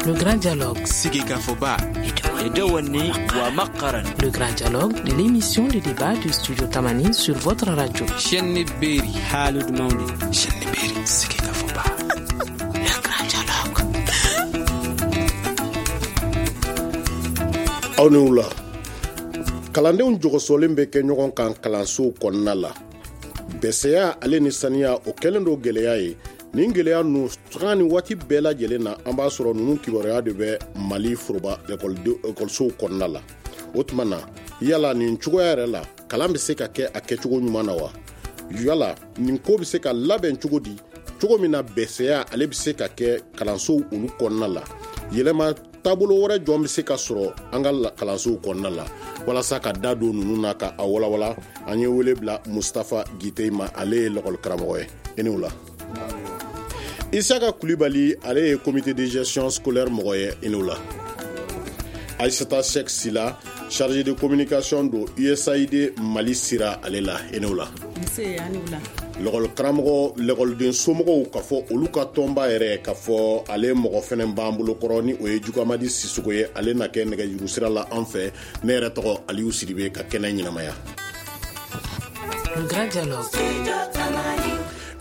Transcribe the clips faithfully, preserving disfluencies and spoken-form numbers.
Le Grand Dialogue. Le Grand Dialogue, l'émission de débat du Studio Tamani sur votre radio. Le Grand Dialogue. Aw ni wula. Kalandenw jɔgɔsɔlen bɛ kɛ ɲɔgɔn kan kalansow kɔnɔna la. Bɛsɛya ale ni saniya o kɛlen don gɛlɛya ye. Nin gɛlɛya ninnu sanga ni waati bɛɛ lajɛlen na, an b'a sɔrɔ ninnu kibaruya de bɛ Mali foroba ekɔlisow kɔnɔna la. O tuma na, yala nin cogoya yɛrɛ la, kalan bɛ se ka kɛ a kɛcogo ɲuman na wa? Yala nin ko bɛ se ka labɛn cogo di, cogo min na bɛsɛya ale bɛ se ka kɛ kalansow olu kɔnɔna la? Yɛlɛma taabolo wɛrɛ jɔn bɛ se ka sɔrɔ an ka kalansow kɔnɔna la? Walasa ka da don ninnu na ka a walawala, an ye wele bila Mustapha Guité ma, ale ye lakɔli karamɔgɔ ye. I ni wula. Isaka Kulibali, ale ye comité de gestion scolaire mɔgɔ ye. I ni wula. Aïssata Cheikh Sila, chargé de communication don U S A I D Mali sira ale la. I ni wula. Lakɔli karamɔgɔ, lakɔliden somɔgɔw ka fɔ olu ka tɔnba yɛrɛ ka fɔ ale mɔgɔ fɛnɛ b'an bolo kɔrɔ, ni o ye Jugamadi Sisoko ye, ale na kɛ nɛgɛjuru sira la an fɛ. Ne yɛrɛ tɔgɔ Aliou Sidibe, ka kɛnɛ ɲɛnamaya.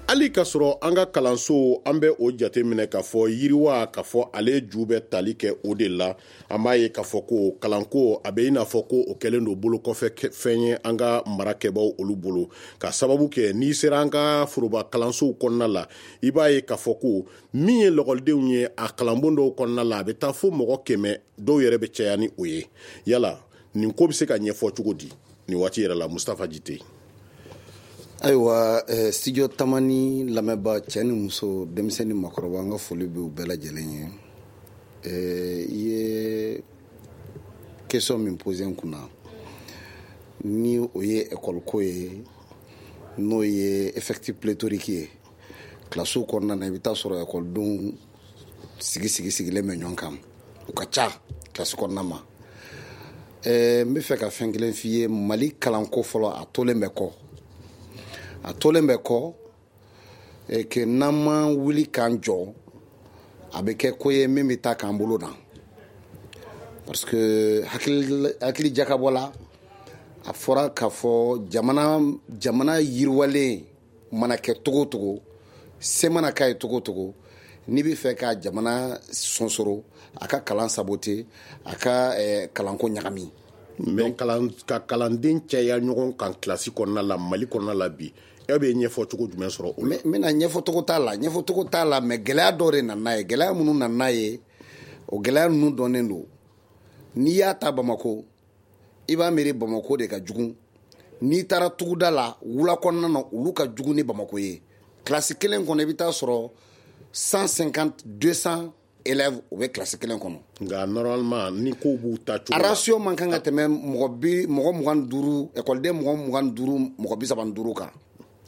Hali ka sɔrɔ an ka kalanso, an bɛ o jate minɛ k'a fɔ yiriwa k'a fɔ ale ju bɛ tali kɛ o de la. An b'a ye k'a fɔ ko kalanko a bɛ i n'a fɔ ko o kɛlen don bolo kɔfɛ fɛn ye an ka marakɛbaw olu bolo, ka sababu kɛ n'i sera an ka foroba kalansow kɔnɔna la, i b'a ye k'a fɔ ko min ye lakɔlidenw ye a kalanbon dɔw kɔnɔna la, a bɛ taa fo mɔgɔ kɛmɛ, dɔw yɛrɛ bɛ caya ni o ye. Yala nin ko bɛ se ka ɲɛfɔ cogo di nin waati yɛrɛ la, Mustapha Guité? Ayiwa, eh, Studio Tamani lamɛnba, cɛ ni muso, denmisɛn ni makɔrɔba, an ka foli bɛ u bɛɛ lajɛlen ye. Eh, i ye question min posé n kunna, ni o ye école ko ye, n'o ye effectif pléthorique ye kilasiw kɔnɔna na, i bɛ taa sɔrɔ ekɔlidenw sigi sigi sigilen bɛ ɲɔgɔn kan, u ka ca kilasi kɔnɔna ma. Eh, n bɛ fɛ ka fɛn kelen f'i ye. Mali kalanko fɔlɔ, a tolen bɛ kɔ, a tolen bɛ kɔ ke n'an ma wuli k'an jɔ, a bɛ kɛ ko ye min bɛ taa k'an bolo dan, parce que hakili hakili jakabɔ la, a fɔra k'a fɔ jamana jamana yiriwalen mana kɛ togo togo, se mana k'a ye togo togo, n'i bɛ fɛ ka jamana sonsoro, a ka kalan saboter, a ka eh, kalanko ɲagami. Mais kalan ka kalanden caya ɲɔgɔn kan kilasi kɔnɔna la, Mali kɔnɔna la bi, e bɛ ɲɛfɔ cogo jumɛn sɔrɔ o la? N bɛna ɲɛfɔcogo t'a la, ɲɛfɔcogo t'a la, mais gɛlɛya dɔ de nana n'a ye. Gɛlɛya minnu nana n'a ye, o gɛlɛya ninnu dɔnnen don. N'i y'a ta Bamako, i b'a miiri Bamako de ka jugu. N'i taara tuguda la, wula kɔnɔna na, olu ka jugu ni Bamako ye. Kilasi kelen kɔnɔ, i bɛ taa sɔrɔ cent cinquante, deux cents élèves, u bɛ kilasi kelen kɔnɔ. Nka normalement, ni kow b'u ta cogo la, ratio man kan ka tɛmɛ mɔgɔ bi mɔgɔ mugan ni duuru, ekɔliden mɔgɔ mugan ni duuru, mɔgɔ bi saba ni duuru kan.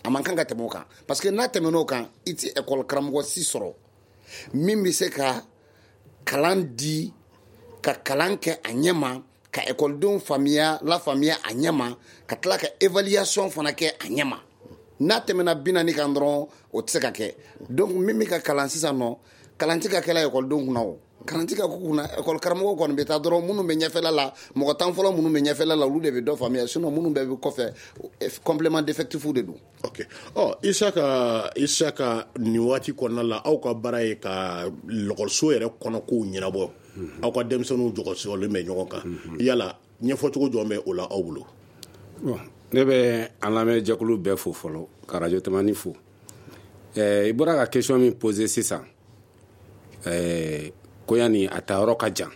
A man kan ka tɛmɛ o kan, parce que n'a tɛmɛn'o kan, i ti ekɔli karamɔgɔ si sɔrɔ min bɛ se ka kalan di, ka kalan kɛ a ɲɛ ma, ka ekɔlidenw faamuya, lafaamuya a ɲɛ ma, ka tila ka évaluation fana kɛ a ɲɛ ma. N'a tɛmɛna bi naani kan dɔrɔn, o tɛ se ka kɛ. Donc min bɛ ka kalan sisan nɔ, kalan tɛ ka kɛla ekɔlidenw kunna, o kalan tɛ ka k'u kunna. Ekɔli karamɔgɔw kɔni bɛ taa dɔrɔn, minnu bɛ ɲɛfɛla la, mɔgɔ tan fɔlɔ minnu bɛ ɲɛfɛla la, olu de bɛ dɔ faamuya. Sinon minnu bɛɛ bɛ kɔfɛ, complément d'effectif de don. Ok, ɔ Isaka, Isaka, nin waati kɔnɔna la, aw ka baara ye ka lakɔliso yɛrɛ kɔnɔ kow ɲɛnabɔ. Aw ka denmisɛnninw jɔgɔsɔlen bɛ ɲɔgɔn kan, yala ɲɛfɔcogo jɔn bɛ o la aw bolo? Bon, ne bɛ an lamɛnjɛkulu bɛɛ fo fɔlɔ, ka Radio Tamani fo. I bɔra ka question min poser sisan, ɛɛ koya nin a ta yɔrɔ ka jan,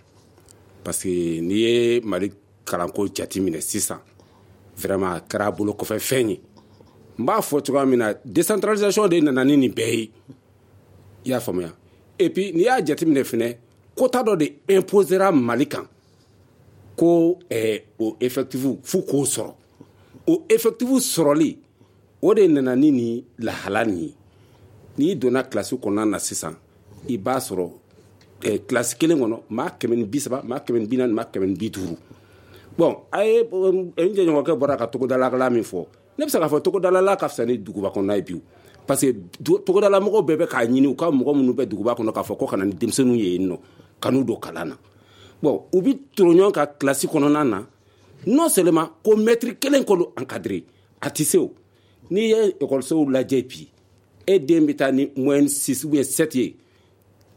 parce que n'i ye Mali kalanko jateminɛ sisan, vraiment a kɛra bolo kɔfɛ fɛn ye. N b'a fɔ cogoya min na, décentralisation de nana ni nin bɛɛ ye, i y'a faamuya. Et puis n'i y'a jateminɛ fɛnɛ, quota dɔ de imposera Mali kan ko ɛɛ o effectif f'u k'o sɔrɔ. O effectif sɔrɔli, o de nana ni nin lahala nin ye. N'i donna kilasi kɔnɔna na sisan, i b'a sɔrɔ eh, kilasi kelen kɔnɔ, maa kɛmɛ ni bi saba, maa kɛmɛ ni bi naani, maa kɛmɛ ni bi duuru. Bon, a ye n jɛɲɔgɔnkɛ bɔra ka togodalakala min fɔ, ne bɛ se k'a fɔ togodalala ka fisa ni duguba kɔnɔna ye bi, parce que togodala mɔgɔw bɛɛ bɛ k'a ɲini u ka mɔgɔ minnu bɛ duguba kɔnɔ k'a fɔ ko ka na ni denmisɛnninw ye yen nɔ. kanu don kalan na. Bon, u bi toro ɲɔgɔn kan kilasi kɔnɔna na, non seulement ko maître kelen k'olu encadrer, a tɛ se o. N'i ye ekɔlisow lajɛ bi, e den bɛ taa ni moyenne six ou bien sept ye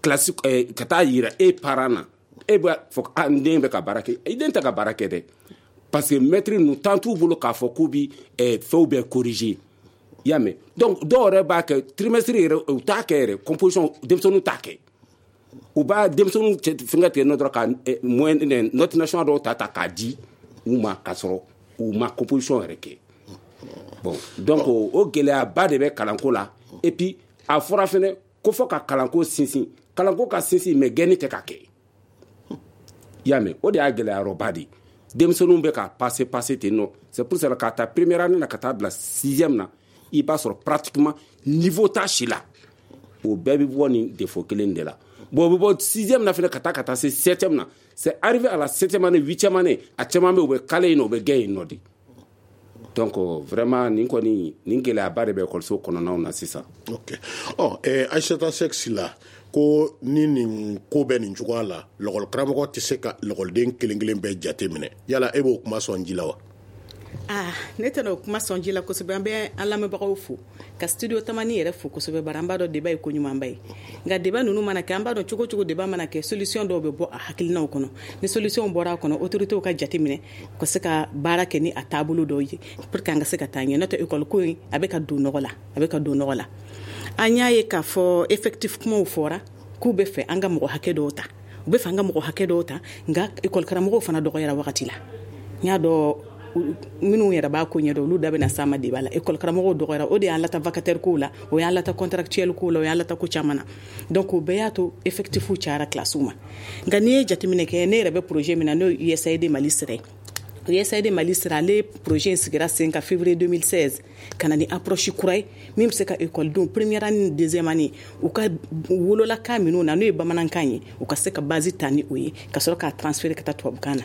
kilasi eh, ka taa yira e parent na, e b'a fɔ a n den bɛ ka baara kɛ. I den tɛ ka baara kɛ dɛ, parce que maître ninnu temps t'u bolo k'a fɔ k'u bi eh, fɛnw bɛɛ corriger, i y'a mɛn. Donc dɔw yɛrɛ b'a kɛ trimestre yɛrɛ, u t'a kɛ yɛrɛ composition, denmisɛnninw t'a kɛ. U b'a denmisɛnninw fɛngɛ tigɛ nɔ dɔrɔn ka moyenne note nationale dɔw ta ta k'a di u ma, k'a sɔrɔ u ma composition yɛrɛ kɛ. Bon, donc o gɛlɛyaba de bɛ kalanko la. Et puis a fɔra fɛnɛ ko fɔ ka kalanko sinsin, kalanko ka sinsin, mais gɛnni tɛ ka kɛ, i y'a mɛn. O de y'a gɛlɛyarɔba de ye. Denmisɛnninw bɛ ka passer passer ten nɔ. C'est pour cela k'a ta première année na ka taa bila sixième na, i b'a sɔrɔ pratiquement niveau t'a si la. O bɛɛ bɛ bɔ nin défaut kelen de la. Bon, o bɛ bɔ sixième na fɛnɛ ka taa ka taa se septième na. C'est arrivé à la septième année, huitième année, a caman bɛ yen, u bɛ kale yen nɔ, u bɛ gɛn yen nɔ de. Donc vraiment nin kɔni, nin gɛlɛyaba de bɛ ekɔliso kɔnɔnaw na sisan. Ok, ɔ eh, Aïssata Seck Sylla, ko ni nin ko bɛ nin cogoya la, lɔkɔli karamɔgɔ tɛ se ka lɔkɔliden kelen kelen bɛɛ jate minɛ, yala e b'o kuma sɔn ji la wa? Ah, ne tɛna o kuma sɔn ji la kosɛbɛ. An bɛ an lamɛnbagaw fo, ka Studio Tamani yɛrɛ fo kosɛbɛ, bari an b'a dɔn débat ye ko ɲumanba ye. Nka débat ninnu mana kɛ, an b'a dɔn cogo cogo débat mana kɛ, solution dɔw bɛ bɔ a hakilinaw kɔnɔ. Ni solution bɔra a kɔnɔ, autorités ka jate minɛ ka se ka baara kɛ ni a taabolo dɔw ye pour que an ka se ka taa ɲɛ. N'o tɛ, école ko in a bɛ ka don nɔgɔ la, a bɛ ka don nɔgɔ la. An y'a ye k'a fɔ effectif kumaw fɔra k'u bɛ fɛ an ka mɔgɔ hakɛ dɔw ta, u bɛ fɛ an ka mɔgɔ hakɛ dɔw ta, nka école karamɔgɔw fana dɔgɔyara wagati la. N y'a dɔn minnu yɛrɛ b'a ko ɲɛdɔn, olu da bɛna s'a ma débat la. École karamɔgɔw dɔgɔyara, o de y'an lata vacataire kow la, o y'an lata contractuel kow la, o y'an lata ko caman na. Donc o bɛɛ y'a to effectif cayara classe ma. Nka n'i ye jateminɛ kɛ, ne yɛrɛ bɛ projet min na, n'o ye U S A I D Mali sira ye, U S A I D Mali sira, ale projet in sigira sen kan février deux mille seize, ka na ni approche kura ye min bɛ se ka ekɔlidenw première année ni deuxième année, u ka wololakan minnu na, n'o ye bamanankan ye, u ka se ka base ta ni o ye, ka sɔrɔ k'a transférer ka taa tubabukan na.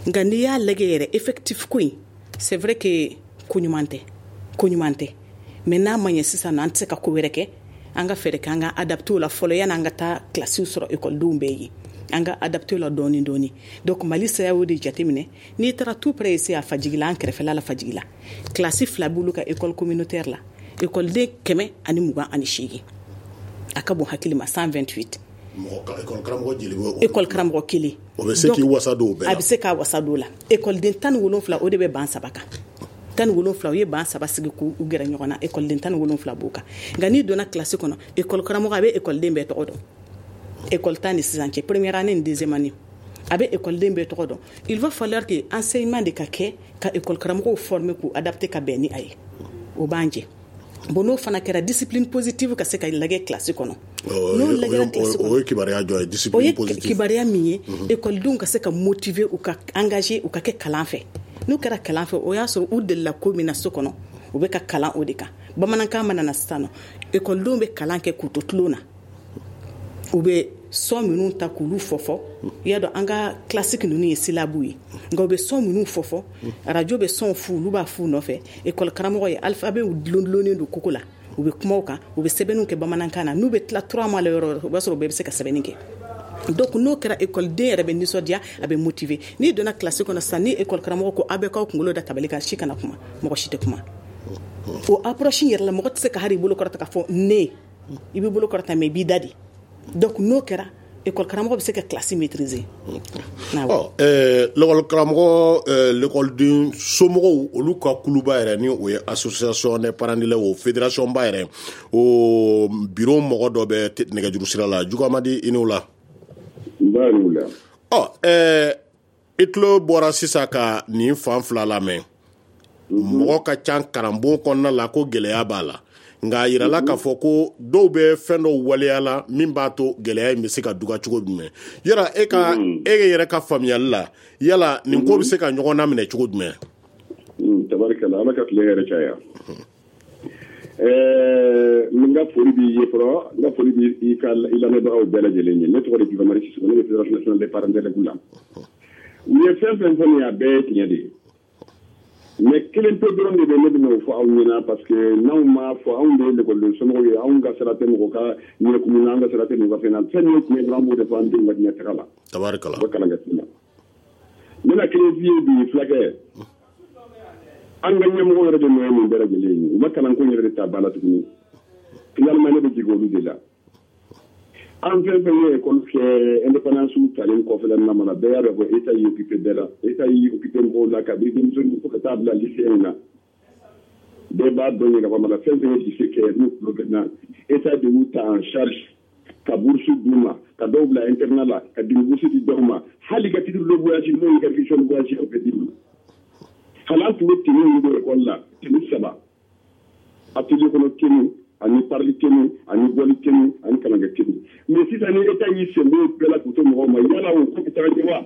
Nka n'i y'a lajɛ yɛrɛ, effectif ko in, c'est vrai que ko ɲuman tɛ, ko ɲuman tɛ, mais n'a ma ɲɛ sisan nɔ, an tɛ se ka ko wɛrɛ kɛ. An ka fɛɛrɛ kɛ an ka adapté o la fɔlɔ, yanni an ka taa kilasiw sɔrɔ ekɔlidenw bɛɛ ye. An ka adapté o la dɔɔni dɔɔni. Donc Mali sira y'o de jateminɛ. N'i taara tout près ici à Fajigila, an kɛrɛfɛla la Fajigila, kilasi fila b'olu ka école communautaire la, ekɔliden kɛmɛ ani mugan ani seegin, a ka bon hakili ma, cent vingt-huit. Mɔgɔ karamɔgɔ jeli bɛ? École karamɔgɔ kelen. O bɛ se k'i wasa don o bɛɛ la? A bɛ se k'a wasa don o la. Ekɔliden tan ni wolonfila, o de bɛ ban saba kan. Tan ni wolonfila, u ye ban saba sigi k'u gɛrɛ ɲɔgɔn na, ekɔliden tan ni wolonfila b'o kan. Nka n'i donna kilasi kɔnɔ, ekɔli karamɔgɔ a bɛ ekɔliden bɛɛ tɔgɔ dɔn. École tan ni sisan cɛ, première année ni deuxième année, a bɛ ekɔliden bɛɛ tɔgɔ dɔn. Il va falloir que enseignement de ka kɛ ka école karamɔgɔw former k'u adapter ka bɛn ni a ye. O b'an jɛ. Bon, n'o fana kɛra, discipline positive ka se ka lajɛ kilasi kɔnɔ. N'o lajɛra kilasi kɔnɔ, o ye kibaruya jɔ ye? O discipline ye positive. Kibaruya min ye, ekɔlidenw ka se ka motiver, u ka engager, u ka kɛ kalan fɛ. N'u kɛra kalan fɛ, o y'a sɔrɔ u delila ko min na so kɔnɔ, u bɛ ka kalan o de kan. Bamanankan mana na sisan nɔ, ekɔlidenw bɛ kalan kɛ k'u to tulon na, u bɛ son minnu ta k'olu fɔ fɔ. I y'a dɔn, an ka classique ninnu ye syllabe ye, nka u bɛ son minnu fɔ fɔ, radio bɛ son fu, olu b'a f'u nɔfɛ. École karamɔgɔ ye alphabet dulon dulonnen don koko la, u bɛ kuma o kan, u bɛ sɛbɛnniw kɛ bamanankan na. N'u bɛ tila trois mois la yɔrɔ o yɔrɔ, o b'a sɔrɔ u bɛɛ bɛ se ka sɛbɛnni kɛ. Donc n'o kɛra, ekɔliden yɛrɛ bɛ nisɔndiya, a bɛ motiver. N'i donna classe kɔnɔ sisan, ni école karamɔgɔ ko aw bɛ k'aw kunkolo da tabali kan, si kana kuma, mɔgɔ si tɛ kuma. O approche in yɛrɛ la, mɔgɔ tɛ se ka hali i bolo kɔrɔta k'a fɔ ne, i b'i bolo kɔrɔta, mais i b'i da de. Donc n'o kɛra, école karamɔgɔ bɛ se ka classe maîtriser. Ɔ ɛɛ l'école karamɔgɔ, ɛɛ l'écoleden somɔgɔw, olu ka kuluba yɛrɛ, ni o ye association des parents d'élèves, o fédération ba yɛrɛ, o bureau mɔgɔ dɔ bɛ nɛgɛjuru sira la. Jugamadi, i n'o la. N b'a n'u la. Ɔ ɛɛ i tulo bɔra sisan ka nin fan fila lamɛn. Mɔgɔ ka ca karanbon kɔnɔna la ko gɛlɛya b'a la, nka a yirala k'a fɔ ko dɔw bɛ fɛn dɔw waleya la min b'a to gɛlɛya in bɛ se ka duga cogo jumɛn. Yala e ka e yɛrɛ ka faamuyali la, yala nin ko bɛ se ka ɲɔgɔn naminɛ cogo jumɛn? Tabarikala, Ala ka tile yɛrɛ caya. ɛɛ n ka foli b'i ye fɔlɔ, n ka foli b'i ka i lamɛnbagaw bɛɛ lajɛlen ye. Ne tɔgɔ de Jibamari Sisoko, ne bɛ Fédération nationale des parents d'élèves la. U ye fɛn fɛn fɔ nin ye, a bɛɛ ye tiɲɛ de ye. Mais kelen pe dɔrɔn de bɛ ne bɛna o fɔ aw ɲɛna, parce que n'anw m'a fɔ, anw de ye lekɔliden somɔgɔw ye, anw ka sira tɛ mɔgɔ ka ɲɛkumu na, an ka sira tɛ mɔgɔ ka fɛn na. Fɛn min ye tiɲɛ dɔrɔn, an b'o de fɔ an denw ka ɲɛtaga la. Tabarikala. U bɛ kalan kɛ sisan. N bɛna kelen f'i ye bi, fulakɛ. An ka ɲɛmɔgɔ yɛrɛ de nɔ ye nin bɛɛ lajɛlen ye. U ma kalanko yɛrɛ de ta ba la tuguni. Finalement, ne bɛ jigin olu de la. An fɛn fɛn ye école kɛ indépendance talen kɔfɛ la mana, bɛɛ y'a dɔn ko État y'i occupé bɛɛ la. État y'i occupé mɔgɔw la kabini denmisɛnninw fo ka taa bila lycée na. Bɛɛ b'a dɔn ye ka fɔ mana fɛn fɛn ye lycée kɛ n'u tulo bɛ na, État de y'u ta en charge ka bourse d'u ma, ka dɔw bila internat la, ka dimi bourse di dɔw ma, hali ka titre de voyage n'o y'i ka fiche de voyage o bɛ d'i ma. Hali an tun bɛ tenue min don école la, tenue saba, atelier kɔnɔ tenue ani parili tenue ani bɔli tenue ani kalankɛ tenue. Mais sisan ni État y'i sen bɔ o bɛɛ la k'u to mɔgɔw ma, yala o ko bɛ taga ɲɛ wa?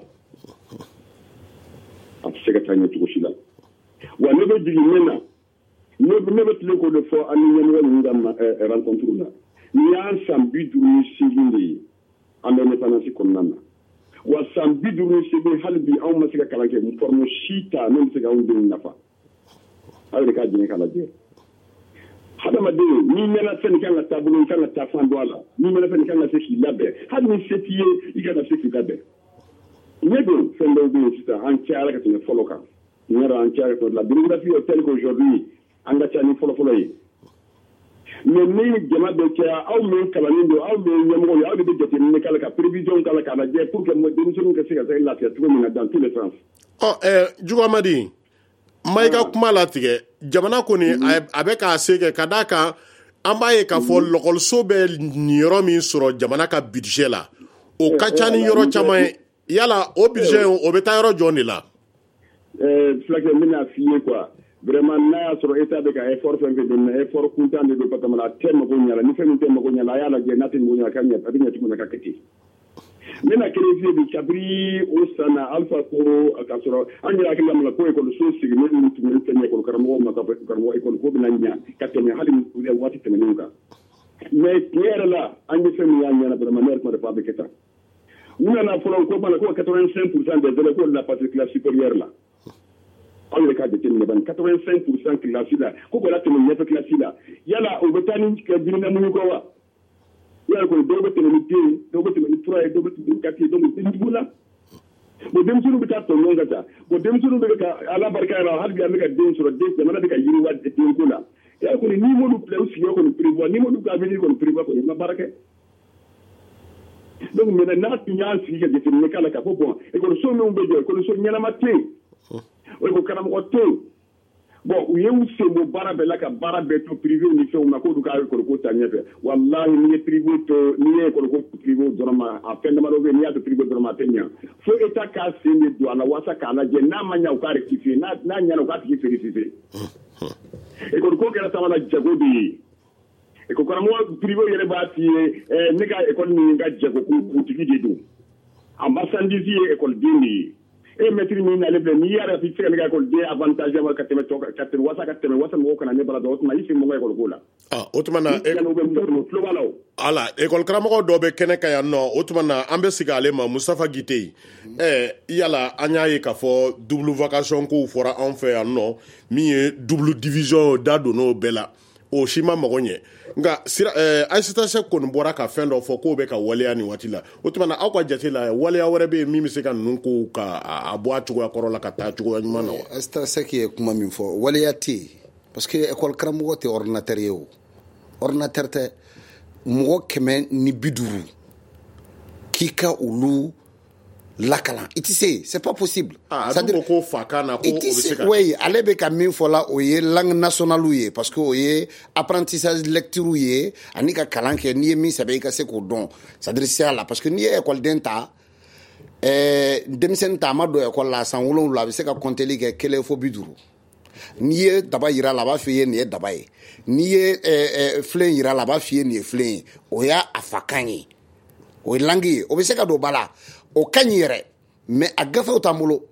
A tɛ se ka taa ɲɛ cogo si la. Wa ne bɛ jigin min na, ne bɛ tilen k'o de fɔ an ni ɲɛmɔgɔ ninnu ka rencontre la. Nin y'an san bi duuru ni seegin de ye an bɛ indépendance kɔnɔna na. Wa san bi duuru ni seegin, hali bi anw ma se ka kalan kɛ forme si ta min bɛ se k'anw denw nafa. Aw yɛrɛ k'a jɛngɛ k'a lajɛ. Hadamaden, n'i mɛnna fɛn kan ka taabolo, i kan ka taa fan dɔ a la. N'i mɛnna fɛn kan ka se k'i labɛn, hali ni se t'i ye, i kan ka se k'i labɛn. Ne don fɛn dɔw bɛ yen sisan, an cayara ka tɛmɛ fɔlɔ kan. N y'a dɔn an cayara ka tɛmɛ. La démographie est telle qu'aujourd'hui an ka ca ni fɔlɔfɔlɔ ye. Mais ni jama bɛ caya, aw min kalannen don, aw min ɲɛmɔgɔ ye, aw de bɛ jateminɛ k'a la, ka prévision k'a la, k'a lajɛ pour que denmisɛnninw ka se ka se lafiya cogo min na dans tous les sens. Ɔ ɛɛ Jugu Amadi, ma i ka kuma latigɛ, jamana kɔni a bɛ k'a se kɛ ka d'a kan an b'a ye k'a fɔ lɔkɔliso bɛ niyɔrɔ min sɔrɔ jamana ka budget la, o ka ca ni yɔrɔ caman ye. Yala o budget o bɛ taa yɔrɔ jɔn de la? Ɛɛ fulakɛ, n bɛna f'i ye quoi. Vraiment, n'a y'a sɔrɔ État bɛ ka effort fɛn fɛn don, effort kuntan de don, parce que a tɛ mago ɲɛ la. Ni fɛn min tɛ mago ɲɛ la, a y'a lajɛ n'a tɛ mago ɲɛ la, ka ɲɛ, a bɛ ɲɛ cogo min na ka kɛ ten. N bɛna kelen f'i ye bi, kabini o san na Alpha ko k'a sɔrɔ an yɛrɛ hakili la ko ekɔliso sigilen ninnu tun bɛ fɛn ekɔli karamɔgɔw ma, ka fɔ karamɔgɔ ekɔli ko bɛna ɲɛ ka tɛmɛ hali waati tɛmɛnenw kan. Mais tiɲɛ yɛrɛ la, an ye fɛn min y'a ɲɛna, vraiment ne yɛrɛ tun b'a dɔn a bɛ kɛ tan. U nana fɔlɔ ko bana ko quatre-vingt-cinq pour cent des élèves ko la passer classe supérieure la. Aw yɛrɛ k'a jateminɛ bani, quatre-vingt-cinq pour cent classe la, ko k'o la tɛmɛ ɲɛfɛ classe la. Yala o bɛ taa ni diinɛ muɲu kɔ wa? Yala kɔni dɔw bɛ tɛmɛ ni den, dɔw bɛ tɛmɛ ni trois ye, dɔw bɛ tɛmɛ ni quatre ye, donc den jugu la. Bon, denmisɛnninw bɛ taa tɔ ɲɔgɔn kan tan. Bon, denmisɛnninw bɛ ka Ala barika la, hali bi an bɛ ka den sɔrɔ, den jamana bɛ ka yiriwa denko la. Yala kɔni n'i m'olu bila u sigiyɔrɔ kɔni prévoir, n'i m'olu ka avenir kɔni prévoir kɔni, i ma baara kɛ. Donc maintenant n'a tun y'an sigi ka jateminɛ k'a la k'a fɔ bon, ekɔliso minnu bɛ jɔ, ekɔliso ɲɛnama tɛ yen, ekɔli karamɔgɔ tɛ yen. Bon, u ye u sen bɔ baara bɛɛ la ka baara bɛɛ to privé ni fɛnw ma k'olu ka école ko ta ɲɛfɛ. Walahi, n'i ye privé to, n'i ye école ko privé dɔrɔn ma, a fɛn damadɔ bɛ yen, n'i y'a to privé dɔrɔn ma, a tɛ ɲɛ. Fo État k'a sen de don a la walasa k'a lajɛ, n'a ma ɲɛ u k'a rectifier, n'a n'a ɲɛna u k'a tigi féliciter. École ko kɛra sama la jago de ye. École karamɔgɔ privé yɛrɛ b'a f'i ye, ne ka école nin ka jago kuntigi de don, a marchandise ye école den de ye. E maître min nalen filɛ, n'i y'a yɛrɛ i tɛ se ka ne ka école den avantage ma ka tɛmɛ tɔ ka tɛmɛ walasa ka tɛmɛ walasa mɔgɔw kana ne bara dɔn, o tuma i sen bɔ n ka école ko la. Ah, o tuma na tulo b'a la o. Ala école karamɔgɔ dɔ bɛ kɛnɛ kan yan nɔ, o tuma na an bɛ segin ale ma, Mustafa Gite. Ɛɛ yala an y'a ye k'a fɔ double vacation kow fɔra anw fɛ yan nɔ, min ye double division da donn'o bɛɛ la, o si ma mago ɲɛ. Nka sira ɛɛ Aïssata Seck kɔni bɔra ka fɛn dɔ fɔ k'o bɛ ka waleya nin waati la. O tuma na aw ka jate la, waleya wɛrɛ bɛ yen min bɛ se ka ninnu kow ka a bɔ a cogoya kɔrɔ la ka taa cogoya ɲuman na wa? Aïssata Seck ye kuma min fɔ, waleya tɛ yen, parce que école karamɔgɔ tɛ ordinateur ye o. Ordinateur tɛ. Mɔgɔ kɛmɛ ni bi duuru k'i ka olu lakalan, i tɛ se, c'est pas possible. Ah, a dun ko ko fa kan na ko o bɛ se ka. Oui, ale bɛ ka min fɔ la, o ye langue nationale ye, parce que o ye apprentissage lecture ye, ani ka kalan kɛ, n'i ye min sɛbɛn i ka se k'o dɔn, c'est à dire sira la, parce que n'i ye école ta, ɛɛ denmisɛnnin ta, a ma don école la san wolonwula, a bɛ se ka compteli kɛ kelen fo bi duuru. N'i ye daba yira la, a b'a f'i ye nin ye daba ye. N'i ye ɛɛ filen yira la, a b'a f'i ye nin ye filen ye. O y'a a fakan ye, o ye langue ye, o bɛ se ka don ba la, o ka ɲi yɛrɛ, mais a gafew t'an bolo.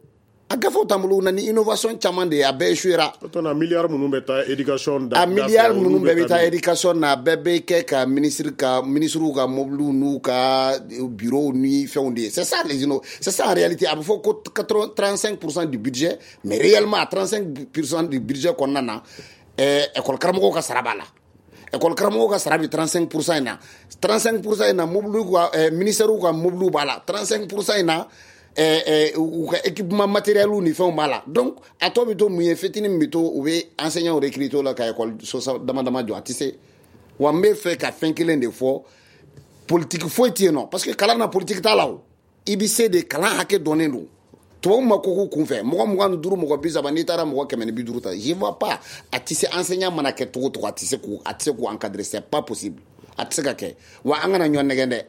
A gafew t'an bolo, u na ni innovation caman de ye, a bɛɛ échouera. O tuma na miliyari minnu bɛ taa éducation da, a miliyari minnu bɛɛ bɛ taa éducation na, a bɛɛ bɛ kɛ ka ministre ka ministres ka mobiliw n'u ka bureau ni fɛnw de ye. C'est ça les inno, c'est ça en réalité. A bɛ fɔ ko trente-cinq pour cent du budget, mais réellement à trente-cinq pour cent du budget kɔnɔna na, ɛɛ école karamɔgɔw ka sara b'a la. École karamɔgɔw ka sara bɛ trente-cinq pour cent in na, trente-cinq pour cent in na mobiliw ka ɛɛ ministères ka mobiliw b'a la, trente-cinq pour cent in na u ka équipement matériel ni fɛnw b'a la. Donc a tɔ bɛ to mun ye, fitinin min bɛ to, u bɛ enseignants recruter la ka école so dama dama jɔ, a tɛ se. Wa n bɛ fɛ ka fɛn kelen de fɔ, politique foyi tɛ yen nɔ, parce que kalan na politique t'a la o. I bɛ se de, kalan hakɛ dɔnnen don. Tubabu ma ko k'u kunfɛ mɔgɔ mugan ni duuru, mɔgɔ bi saba, n'i taara mɔgɔ kɛmɛ ni bi duuru ta, je vois pas. A tɛ se, enseignant mana kɛ cogo o cogo, a tɛ se k'u a tɛ se k'u encadrer, c'est pas possible, a tɛ se ka kɛ. Wa an kana ɲɔgɔn nɛgɛn dɛ,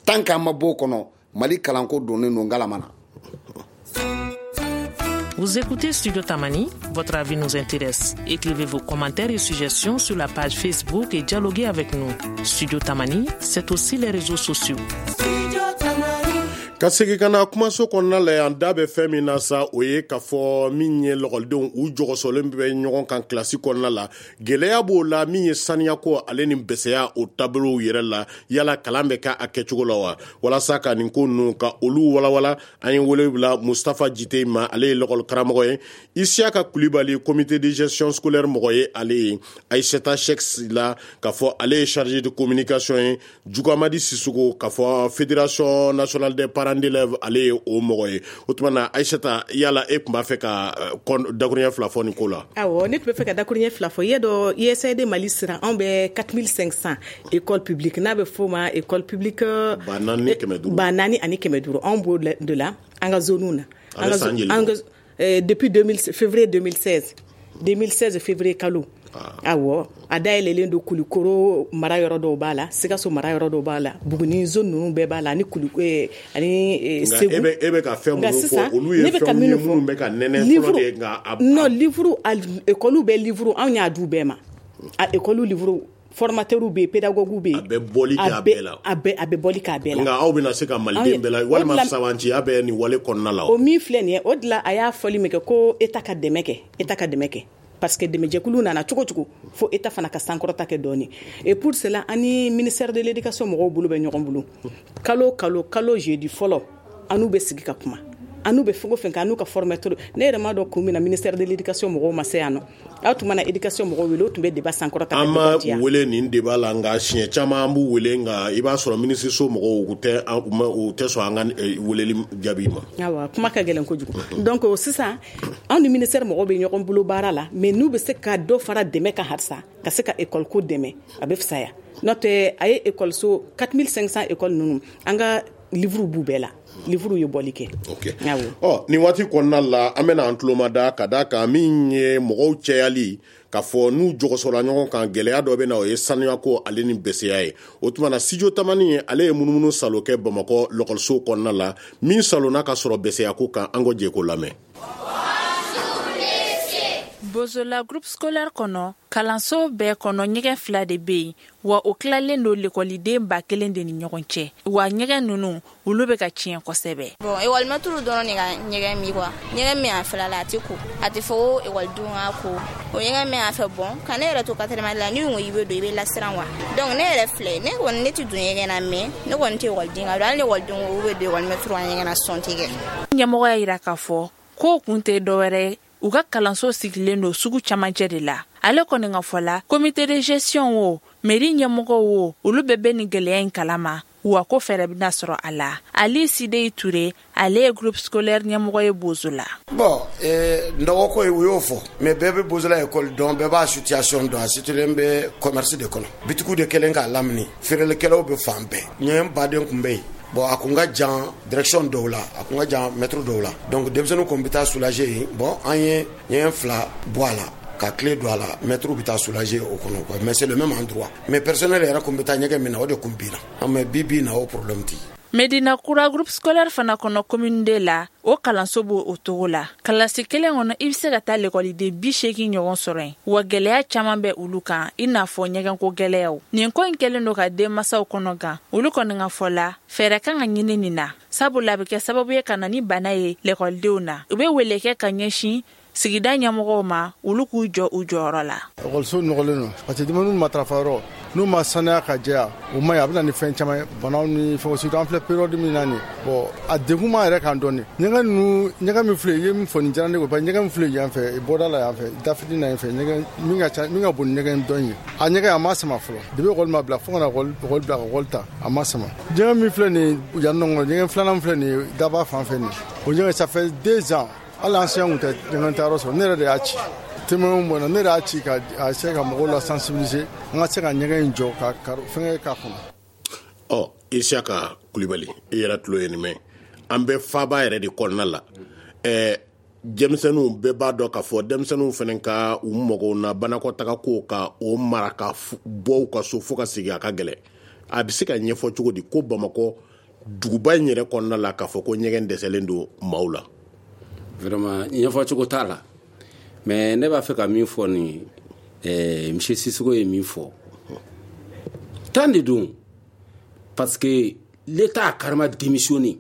tant qu'an ma bɔ o kɔnɔ, Mali kalanko donnen don ngalama na. Vous écoutez Studio Tamani, votre avis nous intéresse. Écrivez vos commentaires et suggestions sur la page Facebook et dialoguez avec nous. Studio Tamani, c'est aussi les réseaux sociaux. Ka segin ka na kumaso kɔnɔna la yan, da bɛ fɛn min na sa, o ye k'a fɔ min ye lɔgɔlidenw u jɔgɔsɔlen bɛ ɲɔgɔn kan kilasi kɔnɔna la, gɛlɛya b'o la, min ye saniyako ale ni bɛsɛya o taabolow yɛrɛ la, yala kalan bɛ kɛ a kɛcogo la wa? Walasa ka nin ko ninnu ka olu walawala, an ye wele bila Mustapha Jite ma, ale ye lɔgɔli karamɔgɔ ye, Isiyaka Kulibali comité de gestion scolaire mɔgɔ ye, ale ye Aïssata Cheick la k'a fɔ ale ye chargé de communication ye, Jugamadi Sissoko k'a fɔ fédération nationale des parents d'élèves, ale ye o mɔgɔ ye. O tuma na Aïssata, yala e tun b'a fɛ ka dakuruɲɛ fila fɔ nin ko la? Awɔ, ne tun bɛ fɛ ka dakuruɲɛ fila fɔ. I y'a dɔn U S A I D Mali sira, anw bɛ quatre mille cinq cents école publique, n'a bɛ f'o ma école publique ba naani ni kɛmɛ duuru, ba naani ani kɛmɛ duuru, anw b'o de la an ka zone na. An ka an ka depuis deux mille février deux mille seize, deux mille seize février kalo. Awɔ, a dayɛlɛlen don Kulikoro mara yɔrɔ dɔw b'a la, Sikaso mara yɔrɔ dɔw b'a la, Buguni zone ninnu bɛɛ b'a la, ani Kulu ani Segu. E bɛ e bɛ ka fɛn minnu fɔ, olu ye fɛnw ye minnu bɛ ka nɛnɛ fɔlɔ de, nka non, livre école bɛɛ livre anw y'a d'u bɛɛ ma. A école livre formateur bɛ yen, pédagogue bɛ yen, a bɛ bɔli kɛ a bɛɛ la, a bɛɛ a bɛ bɔli kɛ a bɛɛ la. Nka aw bɛna se ka maliden bɛɛ la walima sabanciya bɛ nin wale kɔnɔna la. O min filɛ nin ye, o de la a y'a fɔli min kɛ ko État ka dɛmɛ kɛ, État ka dɛmɛ kɛ. Parce que dɛmɛjɛkulu nana cogo cogo fo État fana ka sankɔrɔta kɛ dɔɔni. Et pour cela, an ni ministère de l'éducation mɔgɔw bolo bɛ ɲɔgɔn bolo. Kalo kalo kalo jeudi fɔlɔ, an n'u bɛ sigi ka kuma, an n'u bɛ fɛn o fɛn kɛ, an n'u ka formateur. Ne yɛrɛ m'a dɔn kun min na ministère de l'éducation mɔgɔw ma se yan nɔ. Aw tun mana éducation mɔgɔw wele, o tun bɛ débat sankɔrɔta. An ma wele nin débat la, nka siɲɛ caman an b'u wele, nka i b'a sɔrɔ ministre so mɔgɔw u tɛ u tɛ sɔn an ka weleli jaabi ma. Awa, kuma ka gɛlɛn kojugu. Donc sisan anw ni ministère mɔgɔw bɛ ɲɔgɔn bolo baara la, mais n'u bɛ se ka dɔ fara dɛmɛ kan halisa, ka se ka école ko dɛmɛ, a bɛ fisaya. N'o tɛ a ye école so quatre mille cinq cents école ninnu, an ka livre b'u bɛɛ la. Livre ye bɔli kɛ. Ok. Ɔ, nin waati kɔnɔna la, an bɛna an tulo ma da ka da kan min ye mɔgɔw cɛyali, k'a fɔ n'u jɔgɔsɔla ɲɔgɔn kan, gɛlɛya dɔ bɛ na, o ye sanuyako ale ni bɛsɛya ye. O tuma na Studio Tamani, ale ye munumunu salo kɛ Bamakɔ lɔkɔliso kɔnɔna la, min salonna ka sɔrɔ bɛsɛyako kan, an ko jɛ k'o lamɛn. Bozola groupe scolaire kɔnɔ, kalanso bɛɛ kɔnɔ ɲɛgɛn fila de bɛ yen, wa o tilalen don lekɔliden ba kelen de ni ɲɔgɔn cɛ, wa ɲɛgɛn ninnu olu bɛ ka tiɲɛ kosɛbɛ. Bon, ekɔlimɛtiriw dɔrɔn de ka ɲɛgɛn min quoi, ɲɛgɛn min a fila la a tɛ ko, a tɛ fɔ ko ekɔlidenw ka ko, o ɲɛgɛn min a fɛ. Bon, ka ne yɛrɛ to quatrième année la, n'i ko i bɛ don i bɛ lasiran quoi. Donc ne yɛrɛ filɛ, ne kɔni ne tɛ don ɲɛgɛn na, mais ne kɔni tɛ ekɔliden ka don, hali ni ekɔlidenw ko u bɛ don ekɔlimɛtiriw ka ɲɛgɛn na, sɔn tɛ kɛ. Ɲɛmɔgɔ y'a jira k'a fɔ k'o kun tɛ dɔwɛrɛ ye, u ka kalanso sigilen don sugu camancɛ de la. Ale kɔni ka fɔ la, comité de gestion o, mairie ɲɛmɔgɔw o, olu bɛɛ bɛ nin gɛlɛya in kalama, wa ko fɛɛrɛ bɛna sɔrɔ a la. Ali Sidei Ture, ale ye groupe scolaire ɲɛmɔgɔ ye Bozola. Bon, eh, nɔgɔko ye u y'o fɔ, mais bɛɛ bɛ Bozola école dɔn, bɛɛ b'a situation dɔn, a situlen bɛ commerce de kɔnɔ. Bitigiw de kɛlen k'a lamini, feerelikɛlaw bɛ fan bɛɛ. Ɲɛgɛn baden tun bɛ yen. Bon, a kun ka jan direction dɔw la, a kun ka jan mètre dɔw la. Donc denmisɛnninw kun bɛ taa soulager yen. Bon, an ye ɲɛgɛn fila bɔ a la, ka clé don a la, mètre bɛ taa soulager o kɔnɔ quoi. Mais c'est le même endroit. Mais personnel yɛrɛ kun bɛ taa ɲɛgɛn min na, o de kun binna. Mais bi bi in na, o problème tɛ. Medina Kura groupe scolaire fana kɔnɔ commune de la, o kalanso b'o o togo la. Kalasi kelen kɔnɔ, i bɛ se ka taa lekɔliden bi seegin ɲɔgɔn sɔrɔ yen, wa gɛlɛya caman bɛ olu kan, i n'a fɔ ɲɛgɛnko gɛlɛyaw. Nin ko in kɛlen don ka denmansaw kɔnɔ gan. Olu kɔni ka fɔ la, fɛɛrɛ kan ka ɲini nin na, sabula a bɛ kɛ sababu ye ka na ni bana ye lekɔlidenw na. U bɛ wele kɛ ka ɲɛsin sigida ɲɛmɔgɔw ma, olu k'u jɔ u jɔyɔrɔ la. Ekɔliso nɔgɔlen don parce que dumuni matarafa yɔrɔ n'u ma saniya ka jɛya, o ma ɲi, a bɛ na ni fɛn caman ye, banaw ni fɛnw, surtout an filɛ période min na nin. Bon, a degun b'an yɛrɛ kan dɔɔni. Ɲɛgɛn ninnu, ɲɛgɛn min filɛ, i ye min fɔ nin diyara ne ye, parce que ɲɛgɛn min filɛ yan fɛ, bɔda la yan fɛ, dafitinin na yan fɛ, ɲɛgɛn min ka ca, min ka bon ni ɲɛgɛn dɔ in ye, a ɲɛgɛn a ma sama fɔlɔ depuis ekɔli ma bila fo ka na ekɔli bila ka ekɔli ta, a ma sama. Ɲɛgɛn min filɛ nin yan nɔ, ɲɛgɛn filanan filɛ nin daba fan fɛ nin, o ɲɛgɛn ça fait deux ans, hali enseignant kun tɛ ɲɛgɛn tayɔrɔ sɔrɔ. Ne yɛrɛ de y'a ci témoin bɔnna, ne yɛrɛ y'a ci ka a se ka mɔgɔw la sensibiliser an ka se ka ɲɛgɛn in jɔ ka fɛngɛ k'a kɔnɔ. Ɔ, Isiyaka Kulibali, i yɛrɛ tulo ye nin mɛn, an bɛ faaba yɛrɛ de kɔnɔna la. Ɛɛ denmisɛnninw bɛɛ b'a dɔn k'a fɔ denmisɛnninw fana ka u mɔgɔw na banakɔtaga ko ka o mara ka bɔ u ka so fo ka segin, a ka gɛlɛn. A bɛ se ka ɲɛfɔ cogo di ko Bamakɔ duguba in yɛrɛ kɔnɔna la k'a fɔ ko ɲɛgɛn dɛsɛlen don maaw la? Vraiment, ɲɛfɔcogo t'a la, mais ne b'a fɛ ka min fɔ nin eh, monsieur Sissoko ye min fɔ tan de don, parce que l'État a carrément démissionné.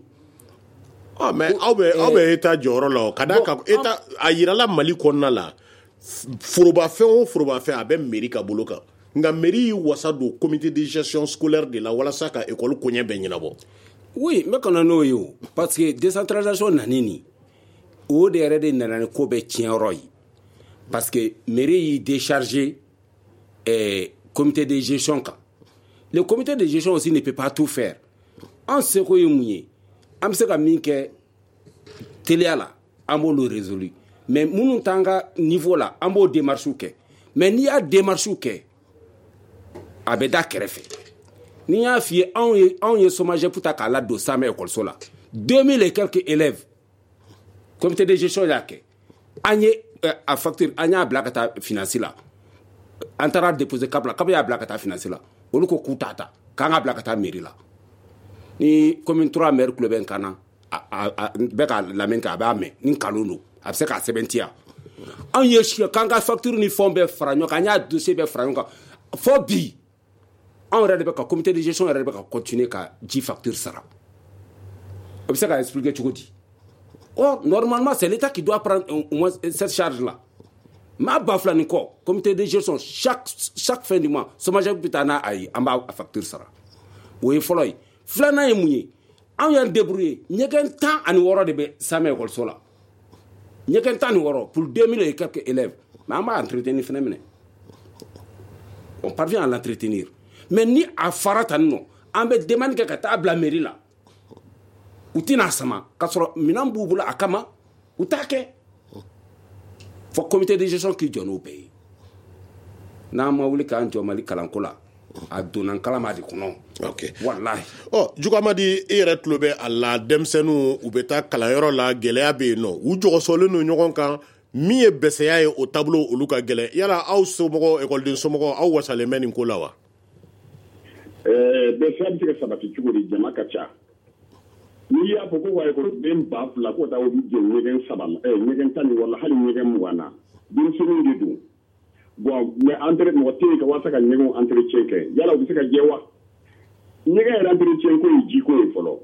Ah, mais aw bɛ aw bɛ État jɔyɔrɔ la o, ka d'a kan État a yirala Mali kɔnɔna la, forobafɛn o forobafɛn a bɛ mairie ka bolo kan, nka mairie y'i wasa don comité de gestion scolaire de la walasa ka école koɲɛ bɛɛ ɲɛnabɔ. Oui, n bɛ ka na n'o ye o, parce que décentralisation nani nin, o de yɛrɛ de nana ni ko bɛɛ tiɲɛyɔrɔ ye, parce que mairie y'i déchargé eh, comité de gestion kan. Le comité de gestion aussi ne peut pas tout faire. An seko ye mun ye, an bɛ se ka min kɛ teliya la, an b'olu résolu, mais minnu t'an ka niveau la, an b'o démarche kɛ. Mais n'i y'a démarche kɛ, a bɛ da kɛrɛfɛ. N'i y'a f'i ye, anw ye anw ye SOMAGEP ta k'a ladon Samɛ ekɔliso la, deux mille et quelques élèves, comité de gestion y'a kɛ, an ye a facture, an y'a bila ka taa finance la, an taara déposer CAP la, CAP y'a bila ka taa finance la, olu ko k'u t'a ta, k'an ka bila ka taa mairie la. Ni commune trois maire tulo bɛ n kan na, a bɛ ka lamɛn kɛ, a b'a mɛn ni nkalon don, a bɛ se k'a sɛbɛntiya. Anw ye k'an ka facture ni fɛnw bɛɛ fara ɲɔgɔn kan, an y'a dossier bɛɛ fara ɲɔgɔn kan, fo bi anw yɛrɛ de bɛ ka comité de gestion yɛrɛ de bɛ ka continuer ka ji facture sara. O bɛ se ka expliquer cogo di? Or, normalement, c'est l'État qui doit prendre au moins cette charge-là. Ma bafla ni kɔ, comité de gestion, chaque, chaque fin du mois, SOMAGEP bɛ taa n'a ye, an b'a facture sara. O ye fɔlɔ ye. Filanan ye mun ye? Anw y'an débrouiller, ɲɛgɛn tan ani wɔɔrɔ de bɛ Samɛ ekɔliso la. Ɲɛgɛn tan ni wɔɔrɔ pour deux mille et quelques élèves. Mais an b'a entretenir fɛnɛ minɛ. On parvient à l'entretenir. Mais ni a fara tan nɔ, an bɛ demande kɛ ka taa bila mairie la. U tɛna sama k'a sɔrɔ minɛn b'u bolo a kama, u t'a kɛ. Fɔ comité de gestion k'i jɔ n'o bɛɛ ye. N'an ma wuli k'an jɔ Mali kalanko la, a donna kalama de kɔnɔ. Ok. Walahi. Ɔ, Jugamadi, e yɛrɛ tulo bɛ a la, denmisɛnninw u bɛ taa kalanyɔrɔ la, gɛlɛya bɛ yen nɔ, u jɔgɔsɔlen don ɲɔgɔn kan, min ye bɛsɛya ye o taabolo olu ka gɛlɛn. Yala aw somɔgɔw, ekɔliden somɔgɔw, aw wasalen bɛ nin ko la wa? Ɛɛ bɛsɛya bɛ se ka sabati cogo di? Jama ka ca. N'i y'a fɔ ko wa ekɔliden ba fila ko taa olu jɛ ɲɛgɛn saba la, ɛɛ ɲɛgɛn tan ni wɔɔrɔ la, hali ɲɛgɛn mugan na, denmisɛnninw de don. Bon, mais entre mɔgɔ tɛ yen ka walasa ka ɲɛgɛnw entretien kɛ, yala u bɛ se ka jɛ wa? Ɲɛgɛn yɛrɛ entretien ko ye jiko ye fɔlɔ.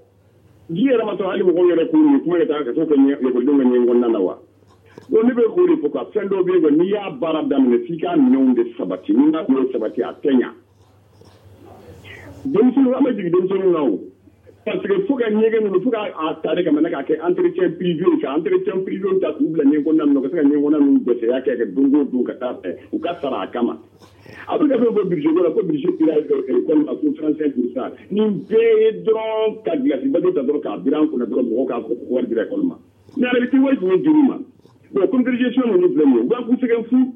Ji yɛrɛ ma sɔrɔ hali mɔgɔw yɛrɛ k'u min, kuma ka taa ka t'o kɛ ekɔlidenw ka ɲɛgɛn kɔnɔna na wa? Donc ne bɛ k'o de fɔ, ka fɛn dɔw bɛ yen, n'i y'a baara daminɛ f'i k'a minɛnw de sabati, n'i m'a minɛnw sabati a tɛ ɲa. Denmisɛnninw, an bɛ jigin denmisɛnninw na o. Parce que fo ka ɲɛgɛn ninnu, fo k'a ta de ka mana k'a kɛ entretien privé, ka entretien privé ta k'u bila ɲɛgɛn kɔnɔna ninnu, ka se ka ɲɛgɛn kɔnɔna ninnu dɛsɛya kɛ kɛ don o don ka taa fɛ, u ka sara a kama. A bɛ ka fɛn fɔ budget ko la, ko budget dira école ma ko trente-cinq pour cent. Nin bɛɛ ye dɔrɔn ka gilasi bato ta dɔrɔn k'a biri an kunna dɔrɔn, mɔgɔw k'a fɔ ko wari dira école ma. Mais en réalité wari tun ye juru ma. Bon, comité de gestion ninnu filɛ nin ye, u b'a k'u sɛgɛn fu.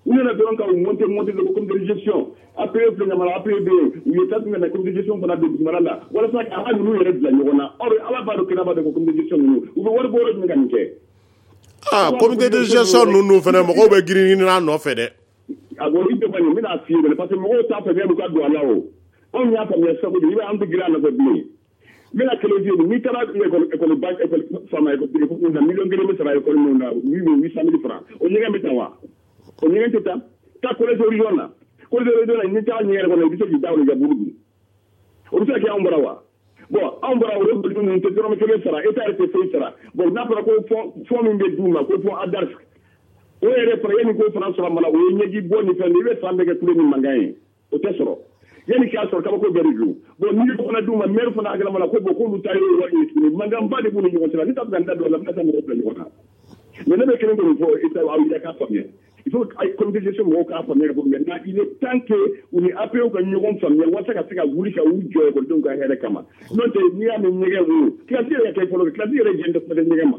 U nana dɔrɔn ka u monter monter de comité de gestion. A P E filɛ ɲamana, A P E bɛ yen, u ye taa tun ka na comité de gestion fana don dugumana la walasa ka ala ninnu yɛrɛ bila ɲɔgɔn na. Or ala b'a dɔn, kira b'a dɔn ko comité de gestion ninnu u bɛ wari bɔ yɔrɔ jumɛn ka nin kɛ? Ah, comité de gestion ninnu fana mɔgɔw bɛ girin girin a nɔfɛ dɛ. A bon, i tɛ kɔni n bɛna f'i ye parce que mɔgɔw t'a faamuya, u ka don a la o. Anw y'a faamuya sisan kojugu, i b'a ye an tɛ girin a nɔfɛ bilen. N bɛna kelen di n'i taara école école ba école faama école na miliyɔn kelen bɛ sara école min na huit cent mille francs o ɲɛgɛn bɛ ta wa o ɲɛgɛn tɛ taa taa collège Horizon na collège Horizon na n'i taara ɲɛgɛn kɔnɔ i bɛ se k'i da o la i ka buru dun o bɛ se ka kɛ anw bara wa bon anw bara o école ninnu tɛ dɔrɔmɛ kelen sara État yɛrɛ tɛ foyi sara bon n'a fɔra ko fond fond min bɛ d'u ma ko fond ADARF o yɛrɛ fana yanni k'o fana sɔrɔ mana o ye ɲɛji bɔ ni fɛn i bɛ san bɛɛ kɛ kule ni mankan ye o tɛ sɔrɔ yanni k'a sɔrɔ kabako bɛɛ de don bon n'i y'o fana d'u ma maire fana hakilima la ko bon k'olu ta ye wari ye tuguni mankanba de b'u ni ɲɔgɔn cɛ la ne t'a fɛ ka n da don a la n bɛna taa mɔgɔw bila ɲɔgɔn na mais ne bɛ kelen kɔni fɔ État aw yɛrɛ k'a faamuya il faut que comité de gestion mɔgɔw k'a faamuya ka fɔ maintenant il est temps que u ni A P O ka ɲɔgɔn faamuya walasa ka se ka wuli ka u jɔ ekɔlidenw ka hɛrɛ kama n'o tɛ n'i y'a mɛn ɲɛgɛn wo kilasi yɛrɛ ka kɛ fɔlɔ kilasi yɛrɛ jɛn tɛ kuma tɛ ɲɛgɛn ma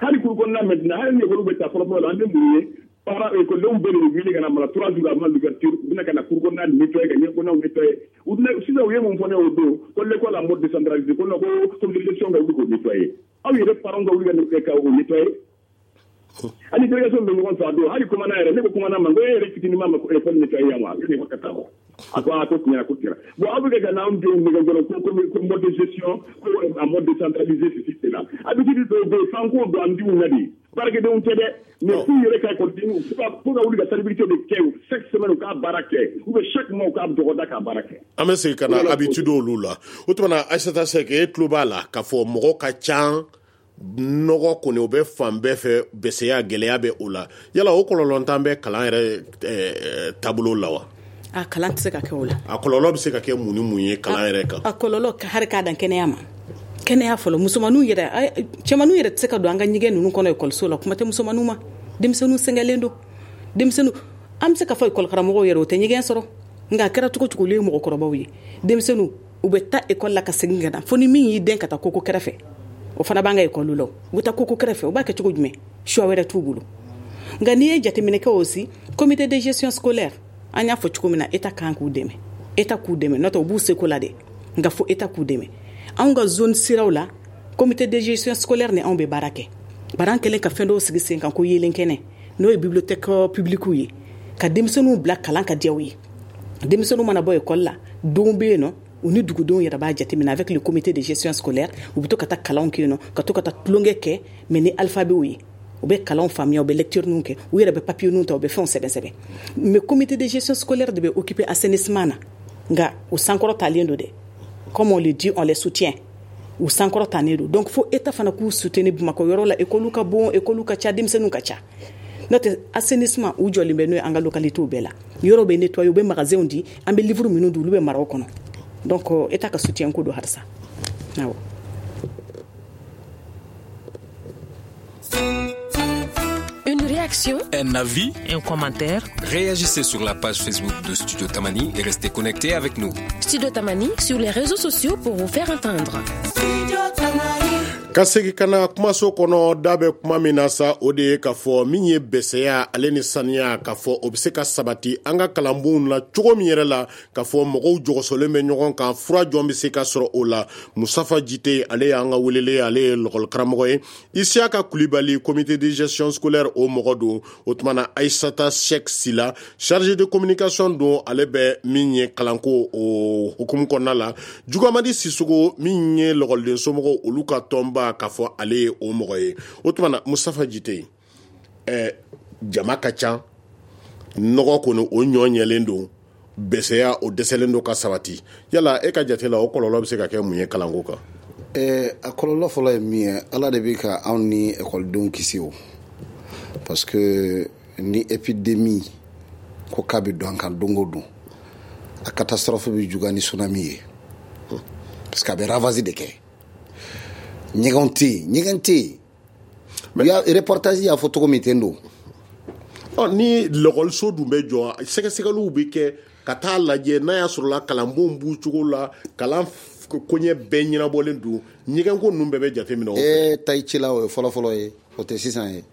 hali kuru kɔnɔna maintenant hali ni ekɔliw bɛ taa fɔlɔ fɔlɔ la an bɛ mun ye para ekɔlidenw bɛɛ de bɛ wuli ka na mara trois jours avant l'ouverture u bɛna ka na kuru kɔnɔna nettoyer ka ɲɛ kɔnɔnaw nettoyer u sisan u ye mun fɔ ne o don ko l'école en mode décentralisé ko non ko comité de gestion ka wuli k'o nettoyer aw yɛrɛ parents ka wuli ka ka o nettoyer hali délégation bɛ ɲɔgɔn fɛ a don hali commandant yɛrɛ ne ko commandant ma ko e yɛrɛ fitinin ma école nettoyer yan wa ne ko ka taa wa a ko a ko tiɲɛna ko tiɲɛna bon aw bɛ kɛ ka n'anw denw nɛgɛ dɔrɔn ko ko mode de gestion ko en mode décentralisé ceci cela habitude dɔw bɛ yen f'an k'o don an denw na de baarakɛdenw tɛ dɛ mais k'u yɛrɛ ka ekɔlidenw fo ka wuli ka salubrité de kɛ chaque semaine u k'a baara kɛ ou bien chaque mois u k'a dɔgɔda k'a baara kɛ. An bɛ segin ka na habitude olu la o tuma na Aïssata Seck e tulo b'a la k'a fɔ mɔgɔ ka ca nɔgɔ kɔni o bɛ fan bɛɛ fɛ bɛsɛya gɛlɛya bɛ o la yala o kɔlɔlɔntan bɛ kalan yɛrɛ taabolo la wa. A kalan tɛ se ka kɛ o la. A kɔlɔlɔ bɛ se ka kɛ mun ni mun ye kalan yɛrɛ kan. A kɔlɔlɔ hali k'a dan kɛnɛya ma kɛnɛya fɔlɔ musomaninw yɛrɛ cɛmaninw yɛrɛ tɛ se ka don an ka ɲɛgɛn ninnu kɔnɔ ekɔliso la kuma tɛ musomaninw ma denmisɛnninw sɛgɛnlen don denmisɛnninw an bɛ se ka fɔ ekɔli karamɔgɔw yɛrɛ o tɛ ɲɛgɛn sɔrɔ nka a kɛra cogo cogo olu ye mɔgɔkɔrɔbaw ye denmisɛnninw u bɛ taa ekɔli la ka segin ka na fo ni min y'i den ka taa koko kɛrɛfɛ o fana b'an ka ekɔli la u bɛ taa koko kɛrɛfɛ u b'a kɛ cogo jumɛn choix wɛrɛ t'u bolo nka n'i ye jateminɛ kɛ aussi comité de gestion scolaire an y'a fɔ cogo min na État kan k'u dɛmɛ État k'u dɛmɛ n'o tɛ u b'u seko la dɛ nka fo État k'u dɛmɛ anw ka zone siraw la comité de gestion scolaire ni anw bɛ baara kɛ bari an kɛlen ka fɛn dɔw sigi sen kan ko yeelen kɛnɛ n'o ye bibliothèque publique ye ka denmisɛnninw bila kalan ka diya u ye denmisɛnninw mana bɔ ekɔli la donw bɛ yen nɔ u ni dugudenw yɛrɛ b'a jateminɛ avec le comité de gestion scolaire u bɛ to ka taa kalanw kɛ yen nɔ ka to ka taa tulonkɛ kɛ mais ni alphabet ye u bɛ kalanw faamuya u bɛ lecture ninnu kɛ u yɛrɛ bɛ papier ninnu ta u bɛ fɛnw sɛbɛn sɛbɛn mais comité de gestion scolaire de bɛ occuper assainissement na nka u sankɔrɔ talen don dɛ comme on le dit on les soutient u sankɔrɔ talen don donc fo État fana k'u soutenir Bamakɔ yɔrɔ la école ka bon école ka ca denmisɛnninw ka ca n'o tɛ assainissement u jɔlen bɛ n'o ye an ka localité bɛɛ la yɔrɔ bɛ nettoyer u bɛ magasin di an bɛ livre minnu di olu bɛ mara o kɔnɔ donc État ka soutien ko don halisa awɔ. Une réaction, un avis, un commentaire. Réagissez sur la page Facebook de Studio Tamani et restez connectés avec nous. Studio Tamani sur les réseaux sociaux pour vous faire entendre. Studio Tamani. Ka segin ka na kumaso kɔnɔ da bɛ kuma min na sa o de ye k'a fɔ min ye bɛsɛya ale ni saniya k'a fɔ o bɛ se ka sabati an ka kalanbonw la cogo min yɛrɛ la k'a fɔ mɔgɔw jɔgɔsɔlen bɛ ɲɔgɔn kan fura jɔn bɛ se ka sɔrɔ o la. Musafa Jite ale y'an ka welele ale ye lɔgɔlikaramɔgɔ ye. Isiyaka Kulibali comité de gestion scolaire o mɔgɔ don. O tuma na Aïssata Seck Sila chargé de communication don ale bɛ min ye kalanko o hukumu kɔnɔna la. Jugamadi Sisoko min ye lɔgɔliden somɔgɔw olu ka tɔnba k'a fɔ ale ye o mɔgɔ ye. O tuma na Musafa Jite ɛ jama ka ca nɔgɔ kɔni o ɲɔ ɲɛlen don bɛsɛya o dɛsɛlen don ka sabati yala e ka jate la o kɔlɔlɔ bɛ se ka kɛ mun ye kalanko kan? Ɛɛ a kɔlɔlɔ fɔlɔ ye min ye Ala de bɛ ka anw ni ekɔlidenw kisi o parce que ni épidémie ko k'a bɛ don an kan don o don a catastrophe bɛ juguya ni tsunami ye parce que a bɛ ravage de kɛ. Ɲɛgɛnw tɛ yen ɲɛgɛn tɛ yen mais reportage y'a fɔ cogo min ten don. Ɔ ni lɔgɔliso dun bɛ jɔ sɛgɛsɛgɛliw bɛ kɛ ka taa lajɛ n'a y'a sɔrɔ la kalanbon b'u cogo la kalan koɲɛ bɛɛ ɲɛnabɔlen don ɲɛgɛnko ninnu bɛɛ bɛ jateminɛ o fɛ. Ee tayi la o ye fɔlɔfɔlɔ ye o tɛ sisan ye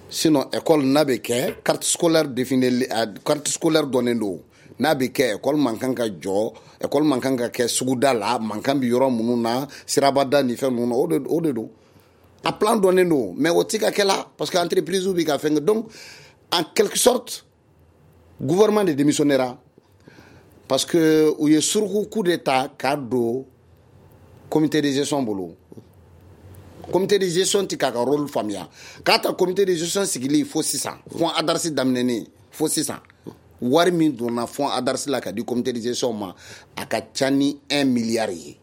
sinon école n'a bɛ kɛ carte scolaire définie carte scolaire dɔnnen don n'a bɛ kɛ école man kan ka jɔ école man kan ka kɛ suguda la mankan bɛ yɔrɔ minnu na sirabada ni fɛn ninnu na o de o de don a plan dɔnnen don mais o ti ka kɛ la parce que entreprise bɛ ka fɛn kɛ donc en quelque sorte gouvernement de démissionnera parce que u ye suruku coup d'état k'a don Comité de gestion bolo. Comité de gestion ti k'a ka rôle faamuya. K'a ta comité de gestion sigili fo sisan, fonds ADARS daminɛnen fo sisan, wari min donna fonds ADARS la ka di comité de gestion ma, a ka ca ni un milliard ye.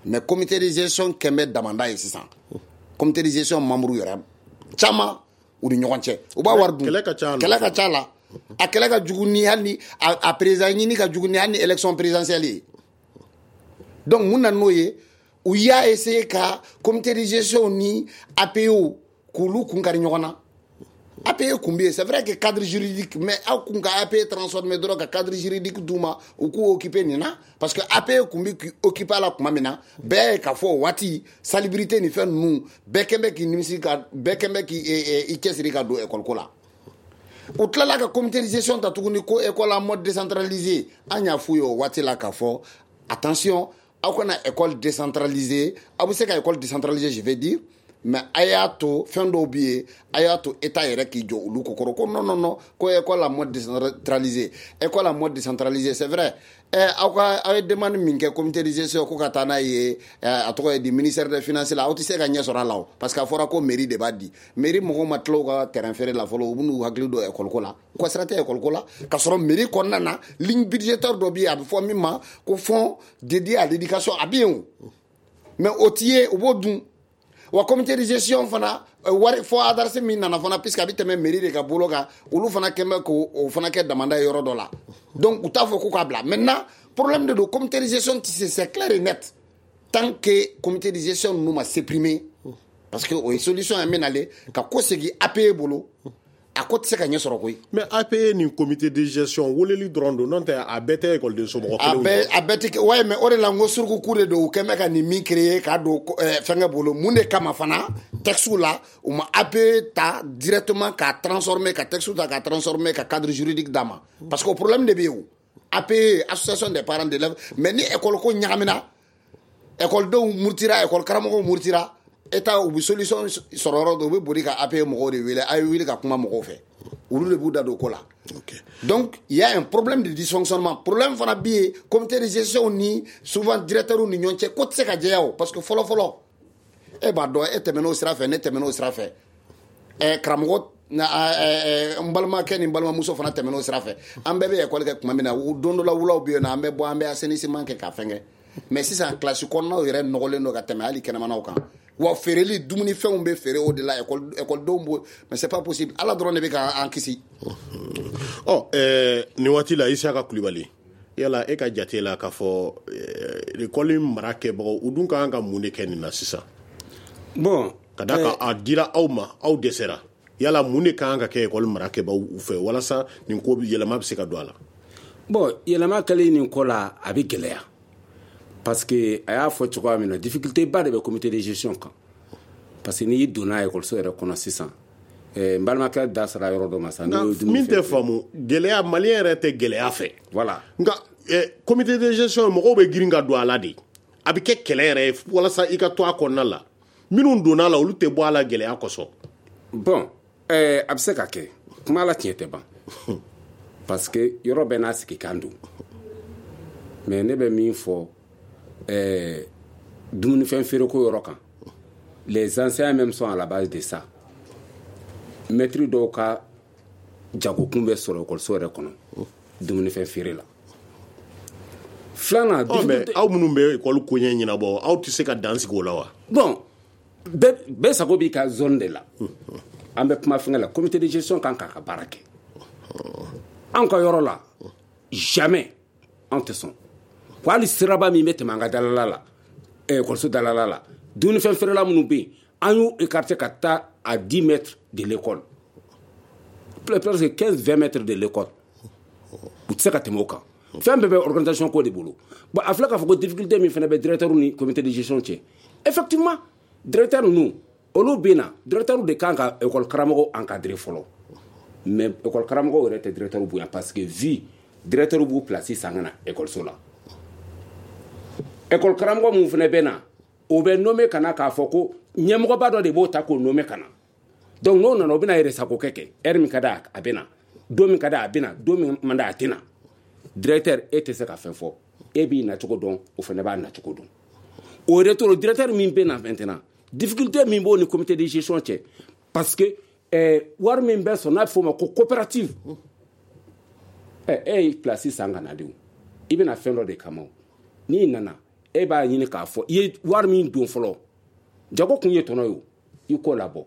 Mais comité de gestion kɛn bɛ damanda ye sisan. Comité de gestion membre yɛrɛ caman u ni ɲɔgɔn cɛ, u b'a wari dun. Kɛlɛ ka ca. Kɛlɛ ka ca la. A kɛlɛ ka jugu ni hali ni a président ɲini ka jugu ni hali ni élection présidentielle ye. Donc mun na n'o ye, u y'a essayé ka comité de gestion ni A P E k'olu kun kari ɲɔgɔn na. A P E kun bɛ yen, c'est vrai que cadre juridique, mais aw kun ka A P E transformer dɔrɔn ka cadre juridique d'u ma, u k'u occuper nin na, parce que A P E kun bɛ k'i occuper a la tuma min na, bɛɛ ye k'a fɔ o waati salubrité ni fɛn ninnu bɛɛ kɛn bɛ k'i nimisi ka bɛɛ kɛn bɛ k'i i cɛsiri ka don école ko la. U tilala ka comité de gestion ta tuguni ko école en mode décentralisé. An y'a f'u ye o waati la k'a fɔ attention, aw kana école décentralisée. Aw bɛ se ka école décentralisée, je vais dire, mais a y'a to fɛn dɔw bɛ yen, a y'a to état yɛrɛ k'i jɔ olu ko kɔrɔ. Ko non, non, non, ko école en mode décentralisé, école en mode décentralisé, c'est vrai. Ɛ aw ka aw ye demande min kɛ comité de gestion ko ka taa n'a ye, a tɔgɔ ye di, ministère des Finances la, aw tɛ se ka ɲɛ sɔrɔ a la o, parce que a fɔra ko mairie de b'a di. Mairie mɔgɔw ma tila u ka terrain feere la fɔlɔ, u bɛ n'u hakili don école ko la. U ka sira tɛ école ko la, k'a sɔrɔ mairie kɔnɔna na, ligne budgétaire dɔ bɛ yen, a bɛ fɔ min ma ko fonds dédié à l'éducation, a bɛ yen o, mais o ti ye, u b'o dun. Wa comité de gestion fana, wari fɔ ADARS min nana fana, puisque a bɛ tɛmɛ mairie de ka bolo kan, olu fana kɛn bɛ k'o fana kɛ damanda ye yɔrɔ dɔ la. Donc u t'a fɔ k'u k'a bila. Maintenant, problème de don, comité de gestion ti se, c'est clair et net, tant que comité de gestion ninnu ma supprimer, parce que o ye solution ye min nalen ka ko segin A P E bolo, a ko tɛ se ka ɲɛ sɔrɔ koyi. Mais A P E ni comité de gestion weleli dɔrɔn don, n'o tɛ a bɛɛ tɛ ekɔliden somɔgɔ a kelenw. Bɛɛ, a bɛɛ tɛ kɛ, ouais, mais o de la n ko suruku de don, u kɛn bɛ ka nin min créer k'a don fɛnkɛ bolo. Mun de kama fana texte la, u ma A P E ta directement k'a transformer, ka texte ta k'a transformer ka cadre juridique d'a ma? Parce que o problème de bɛ yen o. A P E, association des parents d'élèves, mais ni école ko ɲagamina, école denw murutira, école karamɔgɔw murutira, état u bɛ solution sɔrɔ yɔrɔ dɔ, u bɛ boli ka A P E mɔgɔw de wele, a ye wuli ka kuma mɔgɔw fɛ, olu de b'u da don o ko la. Donc il y a un problème de dysfonctionnement. Problème fana bɛ yen, comité de gestion ni souvent directeur ni ɲɔgɔn cɛ, ko tɛ se ka jɛya o, parce que fɔlɔ fɔlɔ, e b'a dɔn, e tɛmɛn'o sira fɛ, ne tɛmɛn'o sira fɛ, ɛ karamɔgɔ na, n balimakɛ ni n balimamuso fana tɛmɛn'o sira fɛ. An bɛɛ bɛ école kɛ tuma min na, don dɔ la wulaw bɛ yen nɔ, an bɛ bɔ, an bɛ assainissement kɛ k'a fɛn kɛ. Mais sisan classe kɔnɔnaw yɛrɛ nɔgɔlen don ka tɛmɛ hali kɛnɛmanaw kan. Wa feereli dumunifɛnw bɛ feere o de la, école écoledenw b'o, mais c'est pas possible. Ala dɔrɔn de bɛ k'an kisi. Ɔ ɛɛ nin waati la, Isaka Kulibali, yala e ka jate la k'a fɔ école mara kɛbagaw, u dun ka kan ka mun de kɛ nin na sisan? Bon. Ka d'a kan a dira aw ma, aw dɛsɛra. Yala mun de ka kan ka kɛ école mara kɛbagaw fɛ walasa nin ko yɛlɛma bɛ se ka don a la? Bon, yɛlɛma kɛlen nin ko la, a bɛ gɛlɛya, parce que a y'a fɔ cogoya min na, difficulté ba de bɛ comité de gestion kan, parce que n'i donna ekɔliso yɛrɛ kɔnɔ sisan, n balimakɛ da sera yɔrɔ dɔ ma sisan. Min tɛ faamu, gɛlɛya, maliyɛn yɛrɛ tɛ gɛlɛya fɛ. Voilà. Nka comité de gestion, mɔgɔw bɛ girin ka don a la de, a bɛ kɛ kɛlɛ yɛrɛ ye walasa i ka to a kɔnɔna la. Minnu donna a la, olu tɛ bɔ a la gɛlɛya kosɔn. Bon, ɛɛ a bɛ se ka kɛ, kuma la tiɲɛ tɛ ban, parce que yɔrɔ bɛɛ n'a sigikan don. Mais ne bɛ min fɔ, ɛɛ dumunifɛn feereko yɔrɔ kan, les enseignants même sont à la base de ça. Maître dɔw ka jagokun bɛ sɔrɔ ekɔliso yɛrɛ kɔnɔ dumunifɛn feere la. Filanan. Ɔ mais aw minnu bɛ ekɔli koɲɛ ɲɛnabɔ, aw tɛ se ka dan sigi o la wa? Bon, bɛɛ bɛɛ sago b'i ka zone de la. An bɛ kuma fɛngɛ la, comité de gestion kan k'a ka baara kɛ. Anw ka yɔrɔ la, jamais anw tɛ sɔn ko hali siraba min bɛ tɛmɛ an ka dalala la, ekɔliso dalala la, dumunifɛn feerela minnu bɛ yen, an y'u écarté ka taa à dix mètres de l'école, presque quinze vingt mètres de l'école. U tɛ se ka tɛmɛ o kan. Fɛn bɛɛ bɛ organisation ko de bolo. Bon, a filɛ k'a fɔ ko difficulté min fana bɛ directeur ni comité de gestion cɛ, effectivement, directeur ninnu, olu bɛ na, directeur de kan ka école karamɔgɔw encadrer fɔlɔ. Mais école karamɔgɔw yɛrɛ tɛ directeur bonya, parce que vu directeur b'u place san ka na école la, école karamɔgɔ mun fana bɛ na, o bɛ nommé ka na k'a fɔ ko ɲɛmɔgɔba dɔ de b'o ta k'o nommé ka na. Donc n'o nana, o bɛna yɛrɛ sago kɛ kɛ heure min ka d'a a bɛ na, don min ka d'a a bɛ na, don min man d'a a tɛ na. Directeur, e tɛ se ka fɛn fɔ, e b'i nacogo dɔn, o fana b'a nacogo dɔn. Au retour, le directeur min bɛ na maintenant, difficulté min b'o ni comité de gestion cɛ, parce que eh, wari min bɛ sɔrɔ n'a bɛ f'o ma ko coopérative, ɛ e ye place san ka na de, o i bɛna fɛn dɔ de kama, o n'i nana e b'a ɲini k'a fɔ i ye wari min don fɔlɔ, jago kun ye tɔnɔ ye, o i k'o labɔ.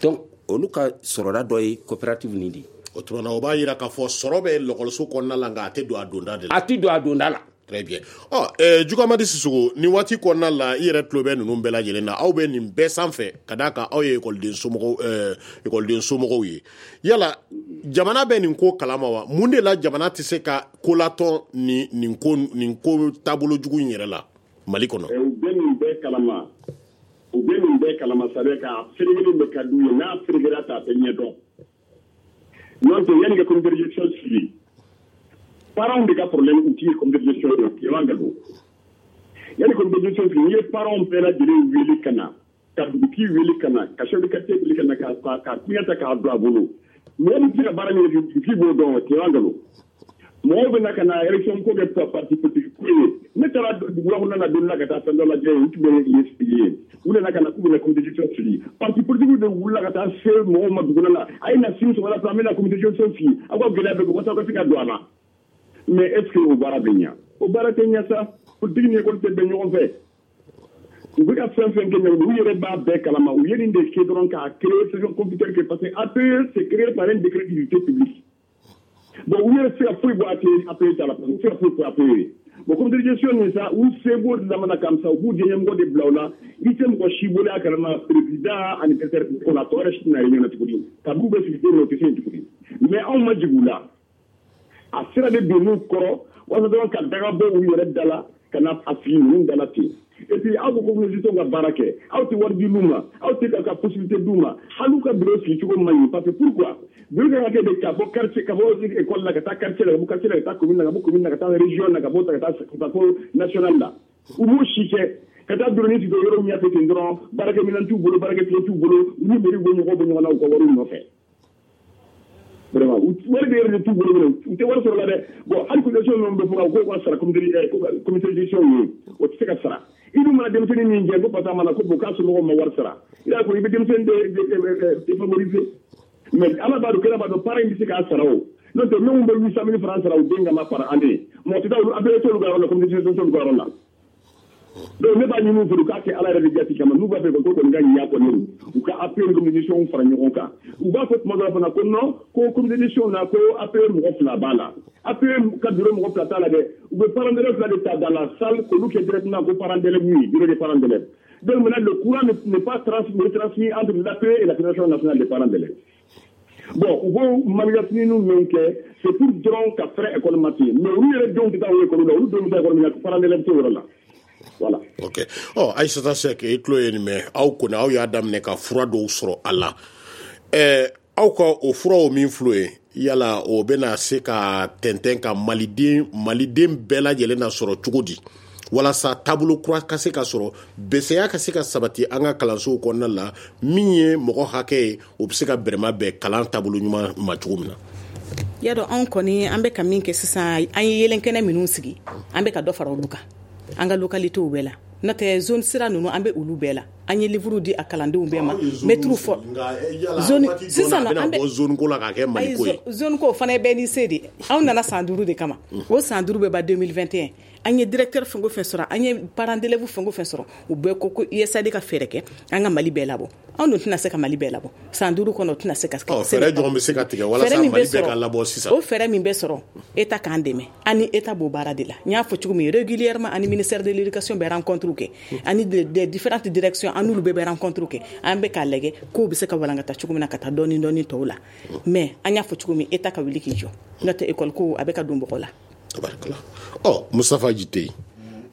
Donc olu ka sɔrɔda dɔ ye coopérative nin de ye. O tuma na, o b'a yira k'a fɔ sɔrɔ bɛ lɔkɔliso kɔnɔna la, nka a tɛ don a donda de la. A tɛ don a donda la. Très bien. Ɔ eh, Jugamadi Sisoko, nin waati kɔnɔna la, i yɛrɛ tulo bɛ ninnu bɛɛ lajɛlen na, aw bɛ nin bɛɛ sanfɛ ka d'a kan aw ye ekɔliden somɔgɔw ɛɛ ekɔliden somɔgɔw ye. Yala jamana bɛ nin ko kalama wa? Mun de la jamana tɛ se ka kolatɔn nin nin ko nin ko taabolo jugu in yɛrɛ la Mali kɔnɔ? U bɛ nin bɛɛ kalama, u bɛ nin bɛɛ kalama, c'est-à-dire k'a ferekelen de ka d'u ye, n'a ferekera ta a tɛ ɲɛ dɔn. N'o tɛ, yanni ka comité de gestion sigi, parents de ka problème u ti ye comité de gestion ye, tilema ka don. Yanni comité de gestion sigi, n'i ye parents bɛɛ lajɛlen wele ka na, ka dugutigi wele ka na, ka chef de quartier wele ka na, ka ka ka kuɲa ta k'a don a bolo, mɔgɔ min tɛ se ka baara min kɛ, dugutigi b'o dɔn, tilema ka don. Mɔgɔw bɛ na ka na élection ko kɛ parti politique ko ye. Ne taara duguba kɔnɔna na don la ka taa fɛn dɔ lajɛ, u tun bɛ yen sigi yen, u nana ka na k'u bɛna comité de gestion sigi. Parti politique de wulila ka taa se mɔgɔw ma dugu la, a ye na sini sɔgɔmada fɛ, an bɛna comité de gestion sigi, aw ka gɛlɛya bɛ kɛ walasa aw ka se ka don a la. Mais est ce que o baara bɛ ɲa? O baara tɛ ɲa sa. Politique ni école tɛ bɛn ɲɔgɔn fɛ. U bɛ ka fɛn fɛn kɛ ɲɔgɔn, u yɛrɛ b'a bɛɛ kalama. U ye nin de kɛ dɔrɔn k'a créer session computer kɛ, parce que A P E, c'est créé par un décret d'utilité publique. Bon, u yɛrɛ tɛ se ka foyi bɔ A P E A P E ta la, parce que u tɛ se ka foyi fɔ A P E ye. Bon, comité de gestion nin sa, u se b'o de lamana kam sa, u b'u ɲɛmɔgɔ de bila o la. I tɛ mɔgɔ si bolo a kalama, président ani directeur ko la, tɔ yɛrɛ si tɛna ye ɲɛna tuguni. Kabini u bɛ sigi don min na, u tɛ se yen tuguni. Mais anw ma jigin u la, a sira de donn'u kɔrɔ walasa dɔrɔn ka daga bɔ u yɛrɛ da la ka na a sigi ninnu da la ten. Et puis aw ko ko communauté ka baara kɛ, aw tɛ wari di l'u ma, aw tɛ ka ka possibilité d'u ma, hali u ka bureau sigi cogo man ɲi. Parce que pourquoi? Bureau kan ka kɛ de ka bɔ quartier, ka bɔ école la ka taa quartier la, ka bɔ quartier la ka taa commune la, ka bɔ commune la ka taa région la, ka bɔ ta ka taa ka taa fo national la. U b'o si kɛ ka taa bureau ni sigi yɔrɔ min ɲɛfɛ ten dɔrɔn, baarakɛminɛn t'u bolo, baarakɛfilen t'u bolo, u ni mairie bɔ ɲɔgɔn bɔ ɲɔgɔn na u ka wariw nɔfɛ. Vraiment, wari de yɛrɛ de t'u bolo minɛ, u tɛ wari sɔrɔ la dɛ. Bon, hali cotisation ninnu bɛ fɔ ka ko ka sara comité comité de gestion ye, o tɛ se ka sara. I dun mana denmisɛnnin min jɛ ko parce que a mana ko bon k'a somɔgɔw ma wari sara, i y'a fɔ i bɛ denmisɛnnin de défavoriser. Mais ala b'a dɔn, kɛnɛ b'a dɔn, parent in bɛ se k'a sara o. N'o tɛ, minnu bɛ huit cent mille francs sara u den kama par année, mɔgɔ tɛ taa olu, A P E t'olu ka yɔrɔ la, comité de gestion t'olu ka yɔrɔ la. Donc ne b'a ɲini u fɛ, u k'a kɛ ala yɛrɛ de jati kama, n'u b'a fɛ ko kɔni ka ɲɛ kɔni, u ka A P E ni comité de gestion fara ɲɔgɔn kan. U b'a fɔ tuma dɔ la fana ko non, ko comité de gestion na, ko A P E mɔgɔ fila b'a la. A P E ka bureau mɔgɔ fila t'a la dɛ. U bɛ parents d'élèves fila de ta dans la salle k'olu kɛ directement ko parents d'élèves ye, bureau des parents d'élèves. Donc maintenant le courant n'est pas transmis, retransmis entre l'A P E et la Fédération nationale des parents d'élèves. Bon, u b'o manifestation min kɛ, c'est pour dɔrɔn ka fɛrɛ école ma ten, mais olu yɛrɛ denw tɛ taa o école la, olu denw bɛ taa école min na, parents d'élèves t'o yɔrɔ la. Voilà. Ok. Ɔ Aïssata Seck, i tulo ye nin mɛn, aw kɔni aw y'a daminɛ ka fura dɔw sɔrɔ a la. Ɛɛ aw ka o furaw min filɛ ye, yala o bɛna se ka tɛntɛn ka maliden maliden bɛɛ lajɛlen na sɔrɔ cogo di, walasa taabolo kura ka se ka sɔrɔ, bɛsɛya ka se ka sabati an ka kalansow kɔnɔna la, min ye mɔgɔ hakɛ ye, o bɛ se ka bɛrɛma bɛn kalan taabolo ɲuman ma cogo min na? Y'a dɔn, anw kɔni an bɛ ka min kɛ sisan, an ye yelenkɛnɛ minnu sigi, an bɛ ka dɔ fara olu kan an ka localitéw bɛɛ la. N'o tɛ, zone sira ninnu, an bɛ olu bɛɛ la. An ye livre di a kalandenw bɛɛ ma, mɛtiriw fɔ zone sisan an bɛ bɔ zone ko la k'a kɛ Mali ko ye. Zone ko fana ye bɛɛ n'i se de. Anw nana san duuru de kama, o san duuru bɛ ban deux mille vingt et un. An ye directeur fɛn o fɛn sɔrɔ, an ye parents d'élèves fɛn o fɛn sɔrɔ, u bɛɛ ko ko U S A I D ka fɛɛrɛ kɛ an ka Mali bɛɛ labɔ. Anw dun tɛna se ka Mali bɛɛ labɔ san duuru kɔnɔ, o tɛna se ka kɛ. Fɛɛrɛ jɔn bɛ se ka tigɛ walasa Mali bɛɛ ka labɔ sisan? O fɛɛrɛ min bɛ sɔrɔ, État k'an dɛmɛ. An ni État b'o baara de la. N y'a fɔ cogo min, régulièrement ani ministère de l'éducation bɛ rencontre kɛ, ani des différentes directions, an n'olu bɛɛ bɛ rencontre kɛ. An bɛ k'a lajɛ k'o bɛ se ka walankata cogo min na ka taa dɔɔni dɔɔni tɔw la. Mais an y'a fɔ cogo min, État ka wuli k'i jɔ, n'o tɛ école ko a bɛ ka don bɔgɔ la. Tabarikala. Ɔ Mustafa Jite,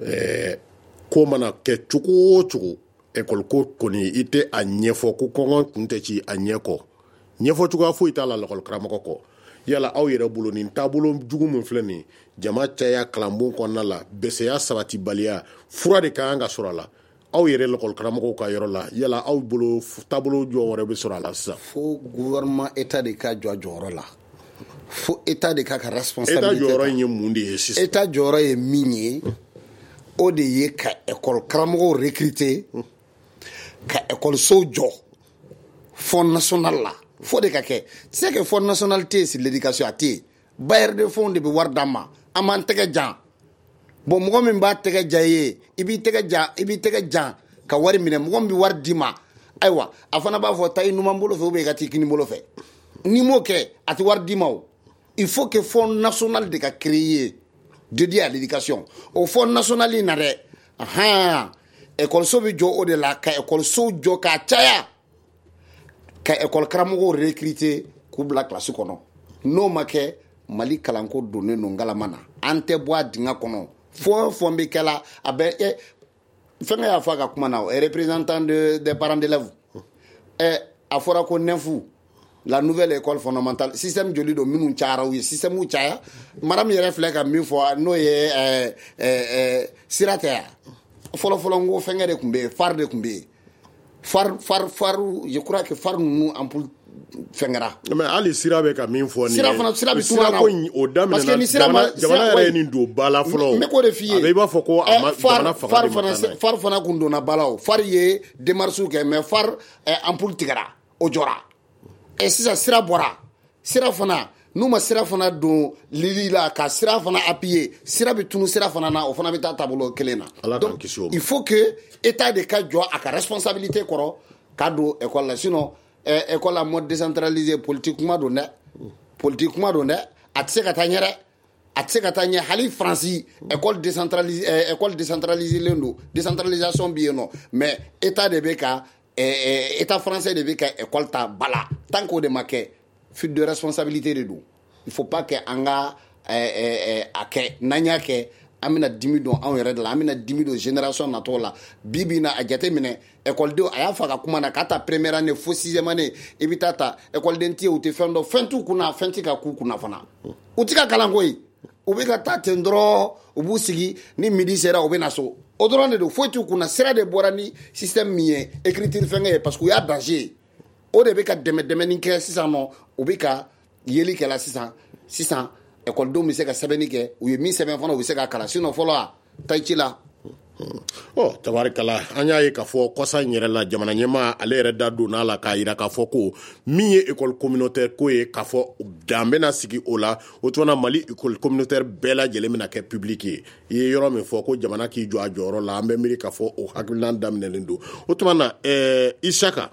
ɛɛ ko mana kɛ cogo o cogo, école ko kɔni, i tɛ a ɲɛfɔ ko kɔngɔ kun tɛ ci a ɲɛ kɔ, ɲɛfɔ cogoya foyi t'a la lakɔli karamɔgɔ kɔ. Yala aw yɛrɛ bolo, nin taabolo jugu min filɛ nin, jama caya kalanbon kɔnɔna la, bɛsɛya sabatibaliya, fura de ka kan ka sɔrɔ a la aw yɛrɛ lakɔli karamɔgɔw ka yɔrɔ la. Yala aw bolo, taabolo jɔ wɛrɛ bɛ sɔrɔ a la sisan? Fo gouvernement, état de ka jɔ a jɔyɔrɔ la, fo état de ka ka responsabilité. État jɔyɔrɔ in ye mun de ye sisan? État jɔyɔrɔ ye min ye, O de ye ka école karamɔgɔw recruter, ka école-sow jɔ Fonds national la. Fo de ka kɛ. Tu sais que Fonds national tɛ yen sur l'éducation, a tɛ yen. Bailleur de fonds de bɛ wari d'an ma, an b'an tɛgɛ jan. Bon, mɔgɔ min b'a tɛgɛ ja i ye, i b'i tɛgɛ jan, i b'i tɛgɛ jan ka wari minɛ. Mɔgɔ min bɛ wari d'i ma, ayiwa, a fana b'a fɔ taa i numan bolo fɛ ou bien i ka t'i kini bolo fɛ. N'i m'o kɛ, a tɛ wari d'i ma o. Il faut que Fonds national de ka créer dédié à l'éducation. O Fonds national in na dɛ, ahan, école so bɛ jɔ o de la, ka école sow jɔ k'a caya, ka école karamɔgɔw recruter k'u bila classe kɔnɔ. N'o ma kɛ, Mali kalanko donnen don ngalama na, an tɛ bɔ a dingɛ kɔnɔ. Fɛn o fɛn bɛ kɛ la, a bɛ ɛ fɛnkɛ y'a fɔ a ka kuma na, o représentant de des parents d'élèves, ɛ a fɔra ko N E F, la nouvelle école fondamentale, système joli don minnu cayara, u ye système caya. Madame yɛrɛ filɛ ka min fɔ, n'o ye ɛɛ ɛɛ sira tɛ yan. Fɔlɔ fɔlɔ, n ko fɛnkɛ de tun bɛ yen, phare de tun bɛ yen, phare phare phare je crois que phare ninnu ampoule fɛnkɛra. Mais hali sira bɛ ka min fɔ nin ye, sira fana, sira bɛ sira ko in, o parce que daminɛna ni sira ma jamana yɛrɛ ye nin don ba la fɔlɔ. N bɛ k'o de f'i ye. A bɛ i b'a fɔ ko a ma jamana fanga de ma taa n'a ye. Phare fana kun donna ba la. O phare ye démarches kɛ, mais phare ampoule tigɛra, o jɔra. Ɛ sisan sira bɔra, sira fana, n'u ma sira fana don lili la ka sira fana appuyer, sira bɛ tunu sira fana na, o fana bɛ taa taabolo kelen na. Ala k'an kisi o ma. Il faut que état de ka jɔ a ka responsabilité kɔrɔ k'a don école la. Sinon ɛ école la mode décentralisé, politique kuma don dɛ, politique kuma don dɛ, a tɛ se ka taa ɲɛ dɛ, a tɛ se ka taa ɲɛ. Hali Faransi, école décentralisée, école décentralisée len don, décentralisation bɛ yen nɔ, mais état de bɛ ka état français de bɛ ka école ta ba la. Tant qu'o de ma kɛ, fuite de responsabilité de don. Il faut pas que an ka a kɛ. N'an y'a kɛ, an bɛna dimi don anw yɛrɛ de la, an bɛna dimi don génération natɔw la. Bi bi in na, a jate minɛ, écoledenw, a y'a fɔ a ka kuma na, k'a ta première année fo sixième année, i bɛ taa ta écoleden tɛ yen, u tɛ fɛn dɔn, fɛn t'u kunna, fɛn tɛ ka k'u kunna fana, u tɛ ka kalan koyi. U bɛ ka taa ten dɔrɔn, u b'u sigi, ni midi sera, u bɛ na so, o dɔrɔn de don, foyi t'u kunna. Sira de bɔra ni système min ye, écriture fɛnkɛ ye, parce que u y'a danger ye. O de bɛ ka dɛmɛ dɛmɛni kɛ sisan nɔ, u bɛ ka yeli kɛ la sisan. Sisan ekɔlidenw bɛ se ka sɛbɛnni kɛ, u ye min sɛbɛn fana, u bɛ se ka kalan. Sinon fɔlɔ, a taa i ci la. Ɔ tabarikala, an y'a ye k'a fɔ kɔsa in yɛrɛ la, jamana ɲɛmaa ale yɛrɛ da donna a la k'a yira k'a fɔ ko min ye école communautaire ko ye, k'a fɔ dan bɛna sigi o la. O tuma na, Mali école communautaire bɛɛ lajɛlen bɛna kɛ public ye. I ye yɔrɔ min fɔ ko jamana k'i jɔ a jɔyɔrɔ la, an bɛ miiri k'a fɔ o hakilina daminɛlen don. O tuma na, ɛɛ Isaka,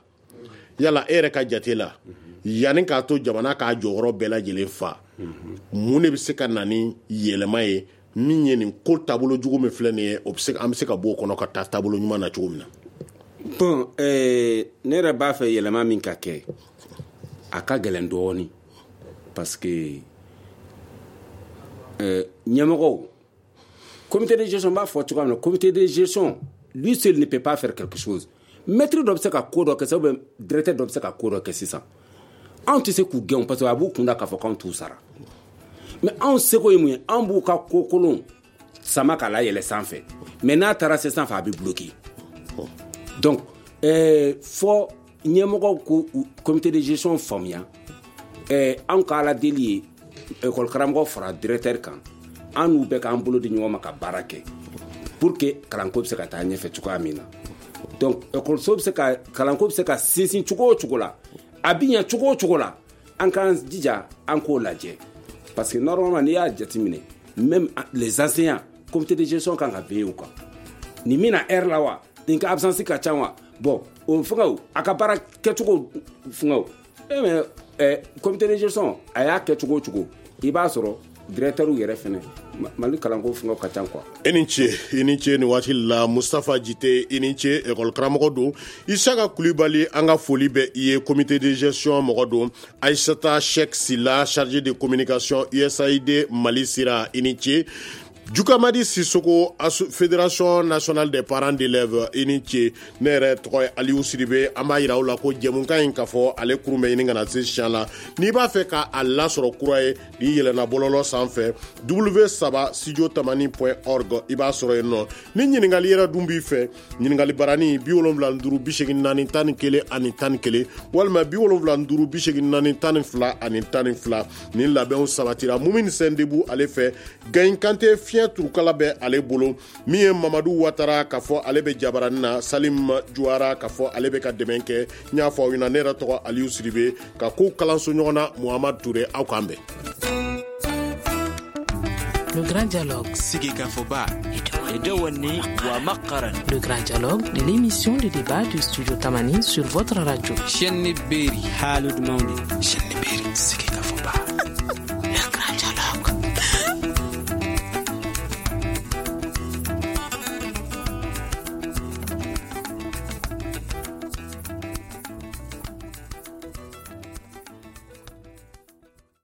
yala e yɛrɛ ka jate la, yanni k'a to jamana k'a jɔyɔrɔ bɛɛ lajɛlen fa, mun de bɛ se ka na ni yɛlɛma ye, min ye nin ko taabolo jugu min filɛ nin ye, o bɛ se, an bɛ se ka bɔ o kɔnɔ ka taa taabolo ɲuman na cogo min na? Bon, eh, ne yɛrɛ b'a fɛ yɛlɛma min ka kɛ, a ka gɛlɛn dɔɔni, parce que eh, ɲɛmɔgɔw, comité de gestion b'a fɔ cogoya min na, comité de gestion lui seul ne peut pas faire quelque chose. Maître dɔ bɛ se ka ko dɔ kɛ sisan, ou bien directeur dɔ bɛ se ka ko dɔ kɛ sisan, anw tɛ se k'u gɛn, parce que a b'u kun da k'a fɔ k'anw t'u sara. Mais anw seko ye mun ye? Anw b'u ka ko kolon sama k'a layɛlɛ sanfɛ, mais n'a taara se sanfɛ, a bɛ bloquer. Donc eh, fɔ ɲɛmɔgɔw ko comité de gestion faamuya. eh, anw ka ala deli ye école karamɔgɔ fara directeur kan, an n'u bɛɛ k'an bolo di ɲɔgɔn ma ka baara kɛ pour que kalanko bɛ se ka taa ɲɛfɛ cogoya min na. Donc école bɛ se ka, kalanko bɛ se ka sinsin cogo o cogo la, a bɛ ɲɛ cogo o cogo la, an k'an jija an k'o lajɛ, parce que normalement, n'i y'a jateminɛ, même les enseignants, comité de gestion kan ka veiller u kan. Nin min na heure la wa, nin ka absence ka ca wa, bon, o fɛngɛw, a ka baara kɛcogo fɛngɛw, e mais eh, comité de gestion a y'a kɛ cogo o cogo, i b'a sɔrɔ directeur yɛrɛ fɛnɛ, Mali kalanko fɛngɛw ka ca quoi. I ni ce, i ni ce nin waati la. Mustafa Jite, i ni ce, école karamɔgɔ don. Isaka Kulibali, an ka foli bɛ i ye, comité de gestion mɔgɔ don. Aïssata Cheick Sila, chargé de communication U S A I D Mali Sira, i ni ce. Jukamadi Sissoko, Fédération nationale des parents d'élèves, i ni ce. Ne yɛrɛ tɔgɔ ye Aliou Sidibe. An b'a yira aw la ko jɛmukan in, k'a fɔ ale kurun bɛ ɲini ka na se siɲɛ la. N'i b'a fɛ ka a lasɔrɔ kura ye, n'i yɛlɛnna bɔlɔlɔ sanfɛ, w saba studio tamani point org, i b'a sɔrɔ yen nɔ. Ni ɲininkali yɛrɛ dun b'i fɛ, ɲininkali barani bi wolonwula ni duuru bi seegin naani tan ni kelen ani tan ni kelen, walima bi wolonwula ni duuru bi seegin naani tan ni fila ani tan ni fila. Nin labɛnw sabatira Mumini Sɛndebu ale fɛ. Gayin Kante fiɲɛ Fiɲɛ turukala bɛ ale bolo. Min ye Mamadu Watara k'a fɔ ale bɛ jabaranin na, Salim Juwara k'a fɔ ale bɛ ka dɛmɛ kɛ. N y'a fɔ aw ɲɛna, ne yɛrɛ tɔgɔ Aliyu Sidibe, ka kow kalanso ɲɔgɔn na Muhamadu Ture. Aw k'an bɛn. Le Grand Dialogue. Le Grand Dialogue, l'émission de débat du Studio Tamani sur votre radio.